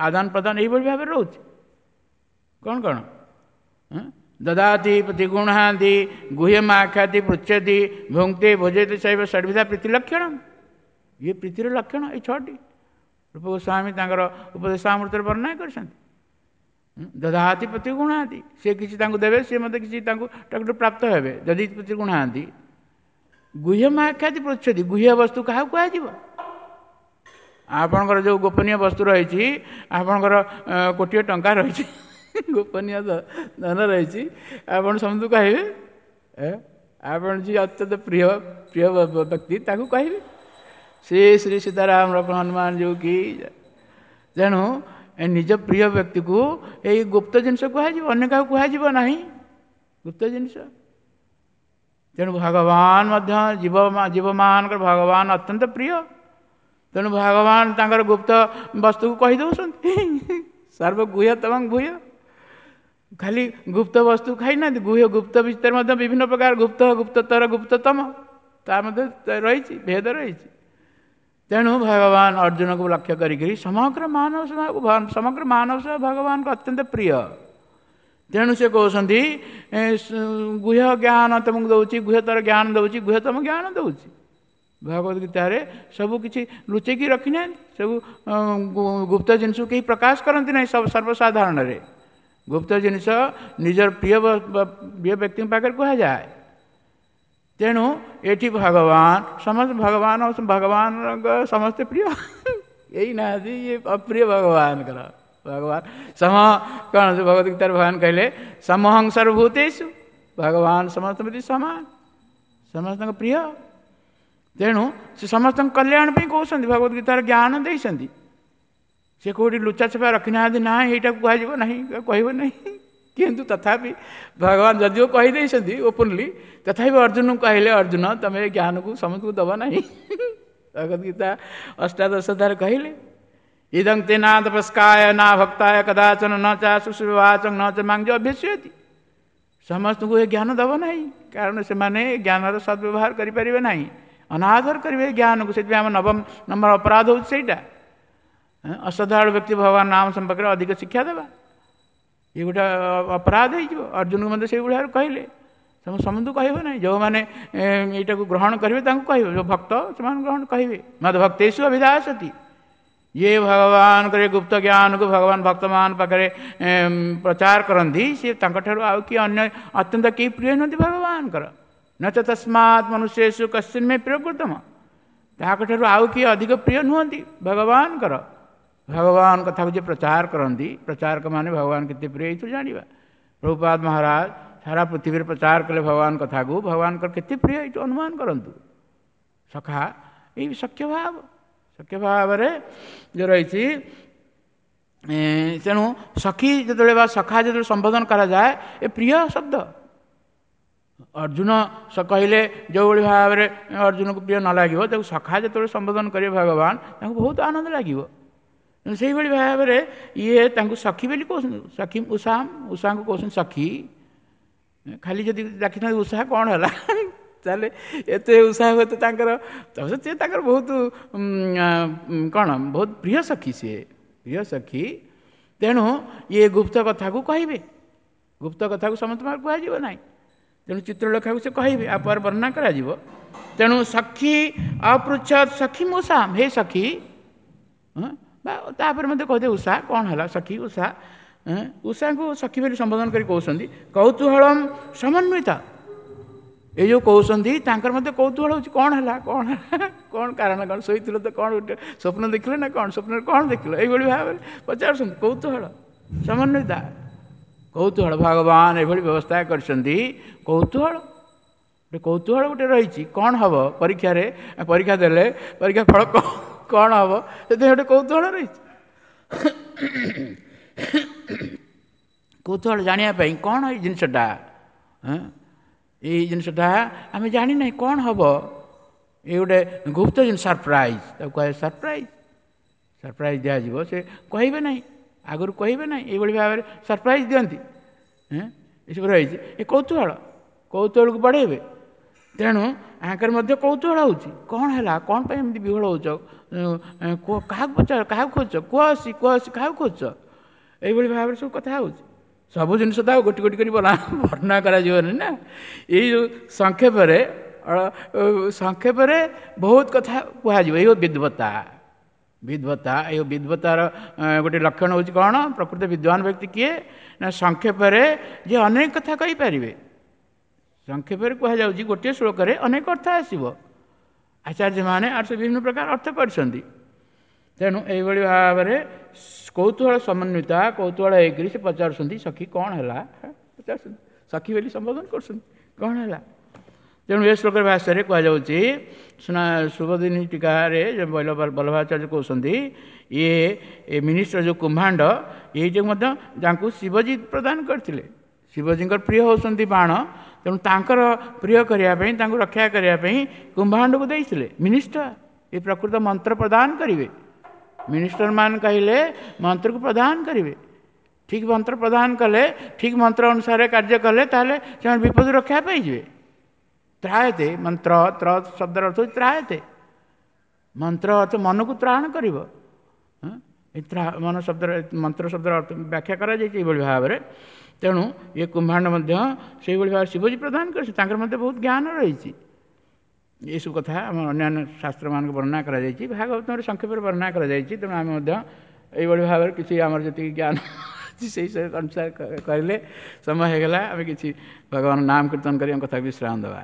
ଆଦାନ ପ୍ରଦାନ ଏଇଭଳି ଭାବରେ ରହୁଛି। କ'ଣ କ'ଣ ଦଦାତି ପ୍ରତିଗୁଣାନ୍ତି ଗୁହ୍ୟମାଖ୍ୟାତି ପୃଚ୍ଛତି ଭୁଙ୍କ୍ତେ ଭୋଜୟତି ଶୈବ ଷଡ଼ବିଧା ପ୍ରୀତି ଲକ୍ଷଣ। ଇଏ ପ୍ରୀତିର ଲକ୍ଷଣ ଏଇ ଛଅଟି ରୂପ ଗୋସ୍ୱାମୀ ତାଙ୍କର ଉପଦେଶାମୃତରେ ବର୍ଣ୍ଣନା କରିଛନ୍ତି। ଦଦାତି ପ୍ରତିଗୁଣାନ୍ତି, ସେ କିଛି ତାଙ୍କୁ ଦେବେ, ସେ ମଧ୍ୟ କିଛି ତାଙ୍କୁ ତାଙ୍କଠୁ ପ୍ରାପ୍ତ ହେବେ ଯଦି ପ୍ରତିଗୁଣାନ୍ତି। ଗୁହ୍ୟମାଖ୍ୟାତି ପୃଚ୍ଛତି, ଗୁହ୍ୟ ବସ୍ତୁ କାହାକୁ କୁହାଯିବ? ଆପଣଙ୍କର ଯେଉଁ ଗୋପନୀୟ ବସ୍ତୁ ରହିଛି, ଆପଣଙ୍କର କୋଟିଏ ଟଙ୍କା ରହିଛି, ଗୋପନୀୟ ଧନ ରହିଛି, ଆପଣ ସମସ୍ତଙ୍କୁ କହିବେ? ଆପଣ ଯିଏ ଅତ୍ୟନ୍ତ ପ୍ରିୟ ପ୍ରିୟ ବ୍ୟକ୍ତି ତାକୁ କହିବେ। ଶ୍ରୀ ଶ୍ରୀ ସୀତାରାମ ଲକ୍ଷ୍ମଣ ହନୁମାନ ଯେଉଁ କି। ତେଣୁ ନିଜ ପ୍ରିୟ ବ୍ୟକ୍ତିକୁ ଏଇ ଗୁପ୍ତ ଜିନିଷ କୁହାଯିବ, ଅନ୍ୟ କାହାକୁ କୁହାଯିବ ନାହିଁ ଗୁପ୍ତ ଜିନିଷ। ତେଣୁ ଭଗବାନ ମଧ୍ୟ ଜୀବ ଜୀବମାନଙ୍କର ଭଗବାନ ଅତ୍ୟନ୍ତ ପ୍ରିୟ। ତେଣୁ ଭଗବାନ ତାଙ୍କର ଗୁପ୍ତ ବସ୍ତୁକୁ କହିଦେଉଛନ୍ତି, ସର୍ବଗୁହ୍ୟତମଂ ଭୂୟ। ଖାଲି ଗୁପ୍ତ ବସ୍ତୁ ଖାଇନାହାନ୍ତି, ଗୁହ୍ୟ ଗୁପ୍ତ ଭିତରେ ମଧ୍ୟ ବିଭିନ୍ନ ପ୍ରକାର ଗୁପ୍ତ, ଗୁପ୍ତତର, ଗୁପ୍ତତମ ତା ମଧ୍ୟ ରହିଛି, ଭେଦ ରହିଛି। ତେଣୁ ଭଗବାନ ଅର୍ଜୁନକୁ ଲକ୍ଷ୍ୟ କରିକିରି ସମଗ୍ର ମାନବ ସମାଜକୁ, ସମଗ୍ର ମାନବ ସମାଜ ଭଗବାନଙ୍କ ଅତ୍ୟନ୍ତ ପ୍ରିୟ। ତେଣୁ ସେ କହୁଛନ୍ତି ଗୁହ୍ୟ ଜ୍ଞାନ ତୁମକୁ ଦେଉଛି, ଗୁହ୍ୟତର ଜ୍ଞାନ ଦେଉଛି, ଗୁହ୍ୟତମ ଜ୍ଞାନ ଦେଉଛି। ଭଗବତ ଗୀତାରେ ସବୁ କିଛି ଲୁଚେଇକି ରଖିନାହାନ୍ତି, ସବୁ ଗୁପ୍ତ ଜିନିଷକୁ କେହି ପ୍ରକାଶ କରନ୍ତି ନାହିଁ ସବୁ ସର୍ବସାଧାରଣରେ। ଗୁପ୍ତ ଜିନିଷ ନିଜର ପ୍ରିୟ ପ୍ରିୟ ବ୍ୟକ୍ତିଙ୍କ ପାଖରେ କୁହାଯାଏ। ତେଣୁ ଏଠି ଭଗବାନ ସମସ୍ତେ, ଭଗବାନ ଭଗବାନଙ୍କ ସମସ୍ତେ ପ୍ରିୟ, ଏଇ ନାହାନ୍ତି ଇଏ ଅପ୍ରିୟ ଭଗବାନଙ୍କର। ଭଗବାନ ସମ କ'ଣ ଭଗବତ ଗୀତାରେ ଭଗବାନ କହିଲେ ସମହଂ ସର୍ବଭୂତେଷୁ, ଭଗବାନ ସମସ୍ତଙ୍କ ପ୍ରତି ସମାନ, ସମସ୍ତଙ୍କ ପ୍ରିୟ। ତେଣୁ ସେ ସମସ୍ତଙ୍କ କଲ୍ୟାଣ ପାଇଁ କହୁଛନ୍ତି, ଭଗବତ ଗୀତାର ଜ୍ଞାନ ଦେଇଛନ୍ତି। ସେ କେଉଁଠି ଲୁଚା ଛପା ରଖିନାହାନ୍ତି, ନା ଏଇଟାକୁ କୁହାଯିବ ନାହିଁ, କହିବ ନାହିଁ। କିନ୍ତୁ ତଥାପି ଭଗବାନ ଯଦିଓ କହିଦେଇଛନ୍ତି ଓପନଲି, ତଥାପି ଅର୍ଜୁନଙ୍କୁ କହିଲେ, ଅର୍ଜୁନ ତମେ ଏ ଜ୍ଞାନକୁ ସମସ୍ତଙ୍କୁ ଦେବ ନାହିଁ। ଭଗବତ ଗୀତା ଅଷ୍ଟାଦଶ ଅଧ୍ୟାୟରେ କହିଲେ, ଇଦଂ ତେ ନା ତପସ୍କାୟ ନା ଭକ୍ତାୟ କଦାଚନ ନ ଚା ଶୁଶ୍ରୂବାଚଂ ନ ଚ ମାଂ ଅଭ୍ୟସ୍ୟତି। ସମସ୍ତଙ୍କୁ ଏ ଜ୍ଞାନ ଦେବ ନାହିଁ, କାରଣ ସେମାନେ ଜ୍ଞାନର ସଦ୍ବ୍ୟବହାର କରିପାରିବେ ନାହିଁ, ଅନାଦର କରିବେ ଜ୍ଞାନକୁ। ସେଥିପାଇଁ ଆମ ନବମ ନମ୍ବର ଅପରାଧ ହେଉଛି ସେଇଟା, ଅଶ୍ରଦ୍ଧାଳୁ ବ୍ୟକ୍ତି ଭଗବାନ ନାମ ସମ୍ପର୍କରେ ଅଧିକ ଶିକ୍ଷା ଦେବା, ଇଏ ଗୋଟେ ଅପରାଧ ହେଇଯିବ। ଅର୍ଜୁନକୁ ମଧ୍ୟ ସେଇଭଳି ଭାବରେ କହିଲେ, ସମସ୍ତଙ୍କୁ କହିବ ନାହିଁ, ଯେଉଁମାନେ ଏଇଟାକୁ ଗ୍ରହଣ କରିବେ ତାଙ୍କୁ କହିବ, ଯେଉଁ ଭକ୍ତ ସେମାନେ ଗ୍ରହଣ କହିବେ। ମଦ ଭକ୍ତେଷୁ ଅଭିଦାସତି, ଯିଏ ଭଗବାନଙ୍କର ଗୁପ୍ତ ଜ୍ଞାନକୁ ଭଗବାନ ଭକ୍ତମାନ ପାଖରେ ପ୍ରଚାର କରନ୍ତି, ସିଏ ତାଙ୍କଠାରୁ ଆଉ କିଏ ଅନ୍ୟ ଅତ୍ୟନ୍ତ କେହି ପ୍ରିୟ ନୁହନ୍ତି ଭଗବାନଙ୍କର। ନ ଚ ତସ୍ମାତ୍ ମନୁଷ୍ୟେଷୁ କଶ୍ଚିନ୍ ମେ ପ୍ରିୟକୃତମ, ତାଙ୍କଠାରୁ ଆଉ କିଏ ଅଧିକ ପ୍ରିୟ ନୁହନ୍ତି ଭଗବାନଙ୍କର। ଭଗବାନ କଥାକୁ ଯିଏ ପ୍ରଚାର କରନ୍ତି, ପ୍ରଚାରକମାନେ ଭଗବାନ କେତେ ପ୍ରିୟ ଏଇଥିରୁ ଜାଣିବା। ପ୍ରଭୁପାଦ ମହାରାଜ ସାରା ପୃଥିବୀରେ ପ୍ରଚାର କଲେ ଭଗବାନ କଥାକୁ, ଭଗବାନଙ୍କର କେତେ ପ୍ରିୟ ଏଇଠୁ ଅନୁମାନ କରନ୍ତୁ। ସଖା ଏଇ ସଖ୍ୟ ଭାବ, ସଖ୍ୟ ଭାବରେ ଯେଉଁ ରହିଛି। ତେଣୁ ସଖୀ ଯେତେବେଳେ ବା ସଖା ଯେତେବେଳେ ସମ୍ବୋଧନ କରାଯାଏ, ଏ ପ୍ରିୟ ଶବ୍ଦ। ଅର୍ଜୁନ କହିଲେ ଯେଉଁଭଳି ଭାବରେ ଅର୍ଜୁନକୁ ପ୍ରିୟ ନ ଲାଗିବ, ତାକୁ ସଖା ଯେତେବେଳେ ସମ୍ବୋଧନ କରିବେ ଭଗବାନ, ତାଙ୍କୁ ବହୁତ ଆନନ୍ଦ ଲାଗିବ। ତେଣୁ ସେଇଭଳି ଭାବରେ ଇଏ ତାଙ୍କୁ ସଖୀ ବୋଲି କହୁଛନ୍ତି। ସଖୀ ଉଷା, ଉଷାଙ୍କୁ କହୁଛନ୍ତି ସଖୀ। ଖାଲି ଯଦି ଡାକିଥାନ୍ତି ଉଷା କ'ଣ ହେଲା, ତାହେଲେ ଏତେ ଉଷା ହୁଏତ ତାଙ୍କର, ସିଏ ତାଙ୍କର ବହୁତ କ'ଣ ବହୁତ ପ୍ରିୟ ସଖୀ, ସିଏ ପ୍ରିୟ ସଖୀ। ତେଣୁ ଇଏ ଗୁପ୍ତ କଥାକୁ କହିବେ, ଗୁପ୍ତ କଥାକୁ ସମସ୍ତଙ୍କ କୁହାଯିବ ନାହିଁ। ତେଣୁ ଚିତ୍ରଲେଖାକୁ ସେ କହିବେ, ଆଉ ପରେ ବର୍ଣ୍ଣନା କରାଯିବ। ତେଣୁ ସଖୀ ଅପୃଚ୍ଛତ୍ ସଖୀ ମୂଷା, ହେ ସଖୀ, ବା ତାପରେ ମଧ୍ୟ କହିଦେ ଉଷା କ'ଣ ହେଲା, ସଖୀ ଉଷା, ଉଷାଙ୍କୁ ସଖୀ ବୋଲି ସମ୍ବୋଧନ କରି କହୁଛନ୍ତି କୌତୂହଳମ ସମନ୍ୱିତ। ଏଇ ଯେଉଁ କହୁଛନ୍ତି ତାଙ୍କର ମଧ୍ୟ କୌତୂହଳ ହେଉଛି, କ'ଣ ହେଲା, କ'ଣ ହେଲା, କ'ଣ କାରଣ, କ'ଣ ଶୋଇଥିଲ ତ କ'ଣ ଗୋଟେ ସ୍ୱପ୍ନ ଦେଖିଲେ ନା କ'ଣ, ସ୍ୱପ୍ନରେ କ'ଣ ଦେଖିଲ, ଏଇଭଳି ଭାବରେ ପଚାରୁଛନ୍ତି। କୌତୂହଳ ସମନ୍ୱିତା, କୌତୂହଳ ଭଗବାନ ଏଭଳି ବ୍ୟବସ୍ଥା କରିଛନ୍ତି। କୌତୂହଳ ଗୋଟେ, କୌତୂହଳ ଗୋଟେ ରହିଛି, କ'ଣ ହେବ ପରୀକ୍ଷାରେ, ପରୀକ୍ଷା ଦେଲେ ପରୀକ୍ଷା ଫଳ କ'ଣ ହେବ, ସେଥିପାଇଁ ଗୋଟେ କୌତୂହଳ ରହିଛି। କୌତୂହଳ ଜାଣିବା ପାଇଁ କ'ଣ ଏଇ ଜିନିଷଟା, ଏଇ ଜିନିଷଟା ଆମେ ଜାଣିନାହିଁ କ'ଣ ହେବ, ଏଇ ଗୋଟେ ଗୁପ୍ତ ଜିନିଷ, ସରପ୍ରାଇଜ୍ ତାକୁ କୁହାଯାଏ। ସରପ୍ରାଇଜ୍, ସରପ୍ରାଇଜ୍ ଦିଆଯିବ, ସେ କହିବେ ନାହିଁ, ଆଗରୁ କହିବେ ନାହିଁ, ଏଇଭଳି ଭାବରେ ସରପ୍ରାଇଜ୍ ଦିଅନ୍ତି। ଏସବୁ ରହିଛି ଏ କୌତୂହଳ, କୌତୂହଳକୁ ବଢ଼େଇବେ। ତେଣୁ ଆଙ୍କର ମଧ୍ୟ କୌତୂହଳ ହେଉଛି, କ'ଣ ହେଲା, କ'ଣ ପାଇଁ ଏମିତି ବିହ୍ୱଳ ହେଉଛ, କାହାକୁ ପଚାର, କାହାକୁ ଖୋଜୁଛ, କୁହ ଆସି, କୁହ ଆସି, କାହାକୁ ଖୋଜୁଛ, ଏଇଭଳି ଭାବରେ ସବୁ କଥା ହେଉଛି। ସବୁ ଜିନିଷ ତ ଆଉ ଗୋଟି ଗୋଟି କରି ବର୍ଣ୍ଣନା କରାଯିବନି ନା, ଏଇ ଯେଉଁ ସଂକ୍ଷେପରେ ସଂକ୍ଷେପରେ ବହୁତ କଥା କୁହାଯିବ। ଏଇ ବିଦ୍ୱତା, ବିଦ୍ୱତା, ଏଇ ବିଦ୍ୱତାର ଗୋଟେ ଲକ୍ଷଣ ହେଉଛି କ'ଣ, ପ୍ରକୃତ ବିଦ୍ୱାନ ବ୍ୟକ୍ତି କିଏ ନା ସଂକ୍ଷେପରେ ଯିଏ ଅନେକ କଥା କହିପାରିବେ। ସଂକ୍ଷେପରେ କୁହାଯାଉଛି ଗୋଟିଏ ଶ୍ଳୋକରେ ଅନେକ ଅର୍ଥ ଆସିବ। ଆଚାର୍ଯ୍ୟମାନେ ଆର୍ ସେ ବିଭିନ୍ନ ପ୍ରକାର ଅର୍ଥ କରିଛନ୍ତି। ତେଣୁ ଏଇଭଳି ଭାବରେ କୌତୂହଳ ସମନ୍ୱିତା, କୌତୂହଳ ହେଇକରି ସେ ପଚାରୁଛନ୍ତି, ସଖୀ କ'ଣ ହେଲା ପଚାରୁଛନ୍ତି, ସଖୀ ବୋଲି ସମ୍ବୋଧନ କରୁଛନ୍ତି, କ'ଣ ହେଲା। ତେଣୁ ଏ ଶ୍ଲୋକର ଭାଷାରେ କୁହାଯାଉଛି, ସୁନା ସୁବୋଧିନୀ ଟୀକାରେ ବଲ୍ଲଭାଚାର୍ଯ୍ୟ କହୁଛନ୍ତି, ଇଏ ଏ ମିନିଷ୍ଟର ଯେଉଁ କୁମ୍ଭାଣ୍ଡ, ଏଇଟାକୁ ମଧ୍ୟ ତାଙ୍କୁ ଶିବଜୀ ପ୍ରଦାନ କରିଥିଲେ। ଶିବଜୀଙ୍କର ପ୍ରିୟ ହେଉଛନ୍ତି ବାଣ, ତେଣୁ ତାଙ୍କର ପ୍ରିୟ କରିବା ପାଇଁ, ତାଙ୍କୁ ରକ୍ଷା କରିବା ପାଇଁ କୁମ୍ଭାଣ୍ଡକୁ ଦେଇଥିଲେ ମିନିଷ୍ଟର। ଏ ପ୍ରକୃତ ମନ୍ତ୍ର ପ୍ରଦାନ କରିବେ। ମିନିଷ୍ଟର ମାନେ କହିଲେ ମନ୍ତ୍ରକୁ ପ୍ରଦାନ କରିବେ। ଠିକ୍ ମନ୍ତ୍ର ପ୍ରଦାନ କଲେ, ଠିକ୍ ମନ୍ତ୍ର ଅନୁସାରେ କାର୍ଯ୍ୟ କଲେ, ତାହେଲେ ସେମାନେ ବିପଦରୁ ରକ୍ଷା ପାଇଯିବେ। ତ୍ରାୟତେ ମନ୍ତ୍ର, ତ୍ର ଶବ୍ଦର ଅର୍ଥ ହେଉଛି ତ୍ରାୟତେ। ମନ୍ତ୍ର ଅର୍ଥ ମନକୁ ତ୍ରାଣ କରିବ। ମନ ଶବ୍ଦର, ମନ୍ତ୍ର ଶବ୍ଦର ଅର୍ଥ ବ୍ୟାଖ୍ୟା କରାଯାଇଛି ଏଇଭଳି ଭାବରେ। ତେଣୁ ଏ କୁମ୍ଭାଣ୍ଡ ମଧ୍ୟ ସେଇଭଳି ଭାବରେ ଶିବଜୀ ପ୍ରଦାନ କରିଛନ୍ତି, ତାଙ୍କର ମଧ୍ୟ ବହୁତ ଜ୍ଞାନ ରହିଛି। ଏସବୁ କଥା ଆମ ଅନ୍ୟାନ୍ୟ ଶାସ୍ତ୍ରମାନଙ୍କୁ ବର୍ଣ୍ଣନା କରାଯାଇଛି, ଭାଗବତରେ ସଂକ୍ଷେପରେ ବର୍ଣ୍ଣନା କରାଯାଇଛି। ତେଣୁ ଆମେ ମଧ୍ୟ ଏଇଭଳି ଭାବରେ କିଛି ଆମର ଯେତିକି ଜ୍ଞାନ ଅଛି ସେଇ ଅନୁସାରେ କହିଲେ ସମୟ ହେଇଗଲା। ଆମେ କିଛି ଭଗବାନ ନାମ କୀର୍ତ୍ତନ କରି ଆମ କଥା ବିଶ୍ରାମ ଦେବା।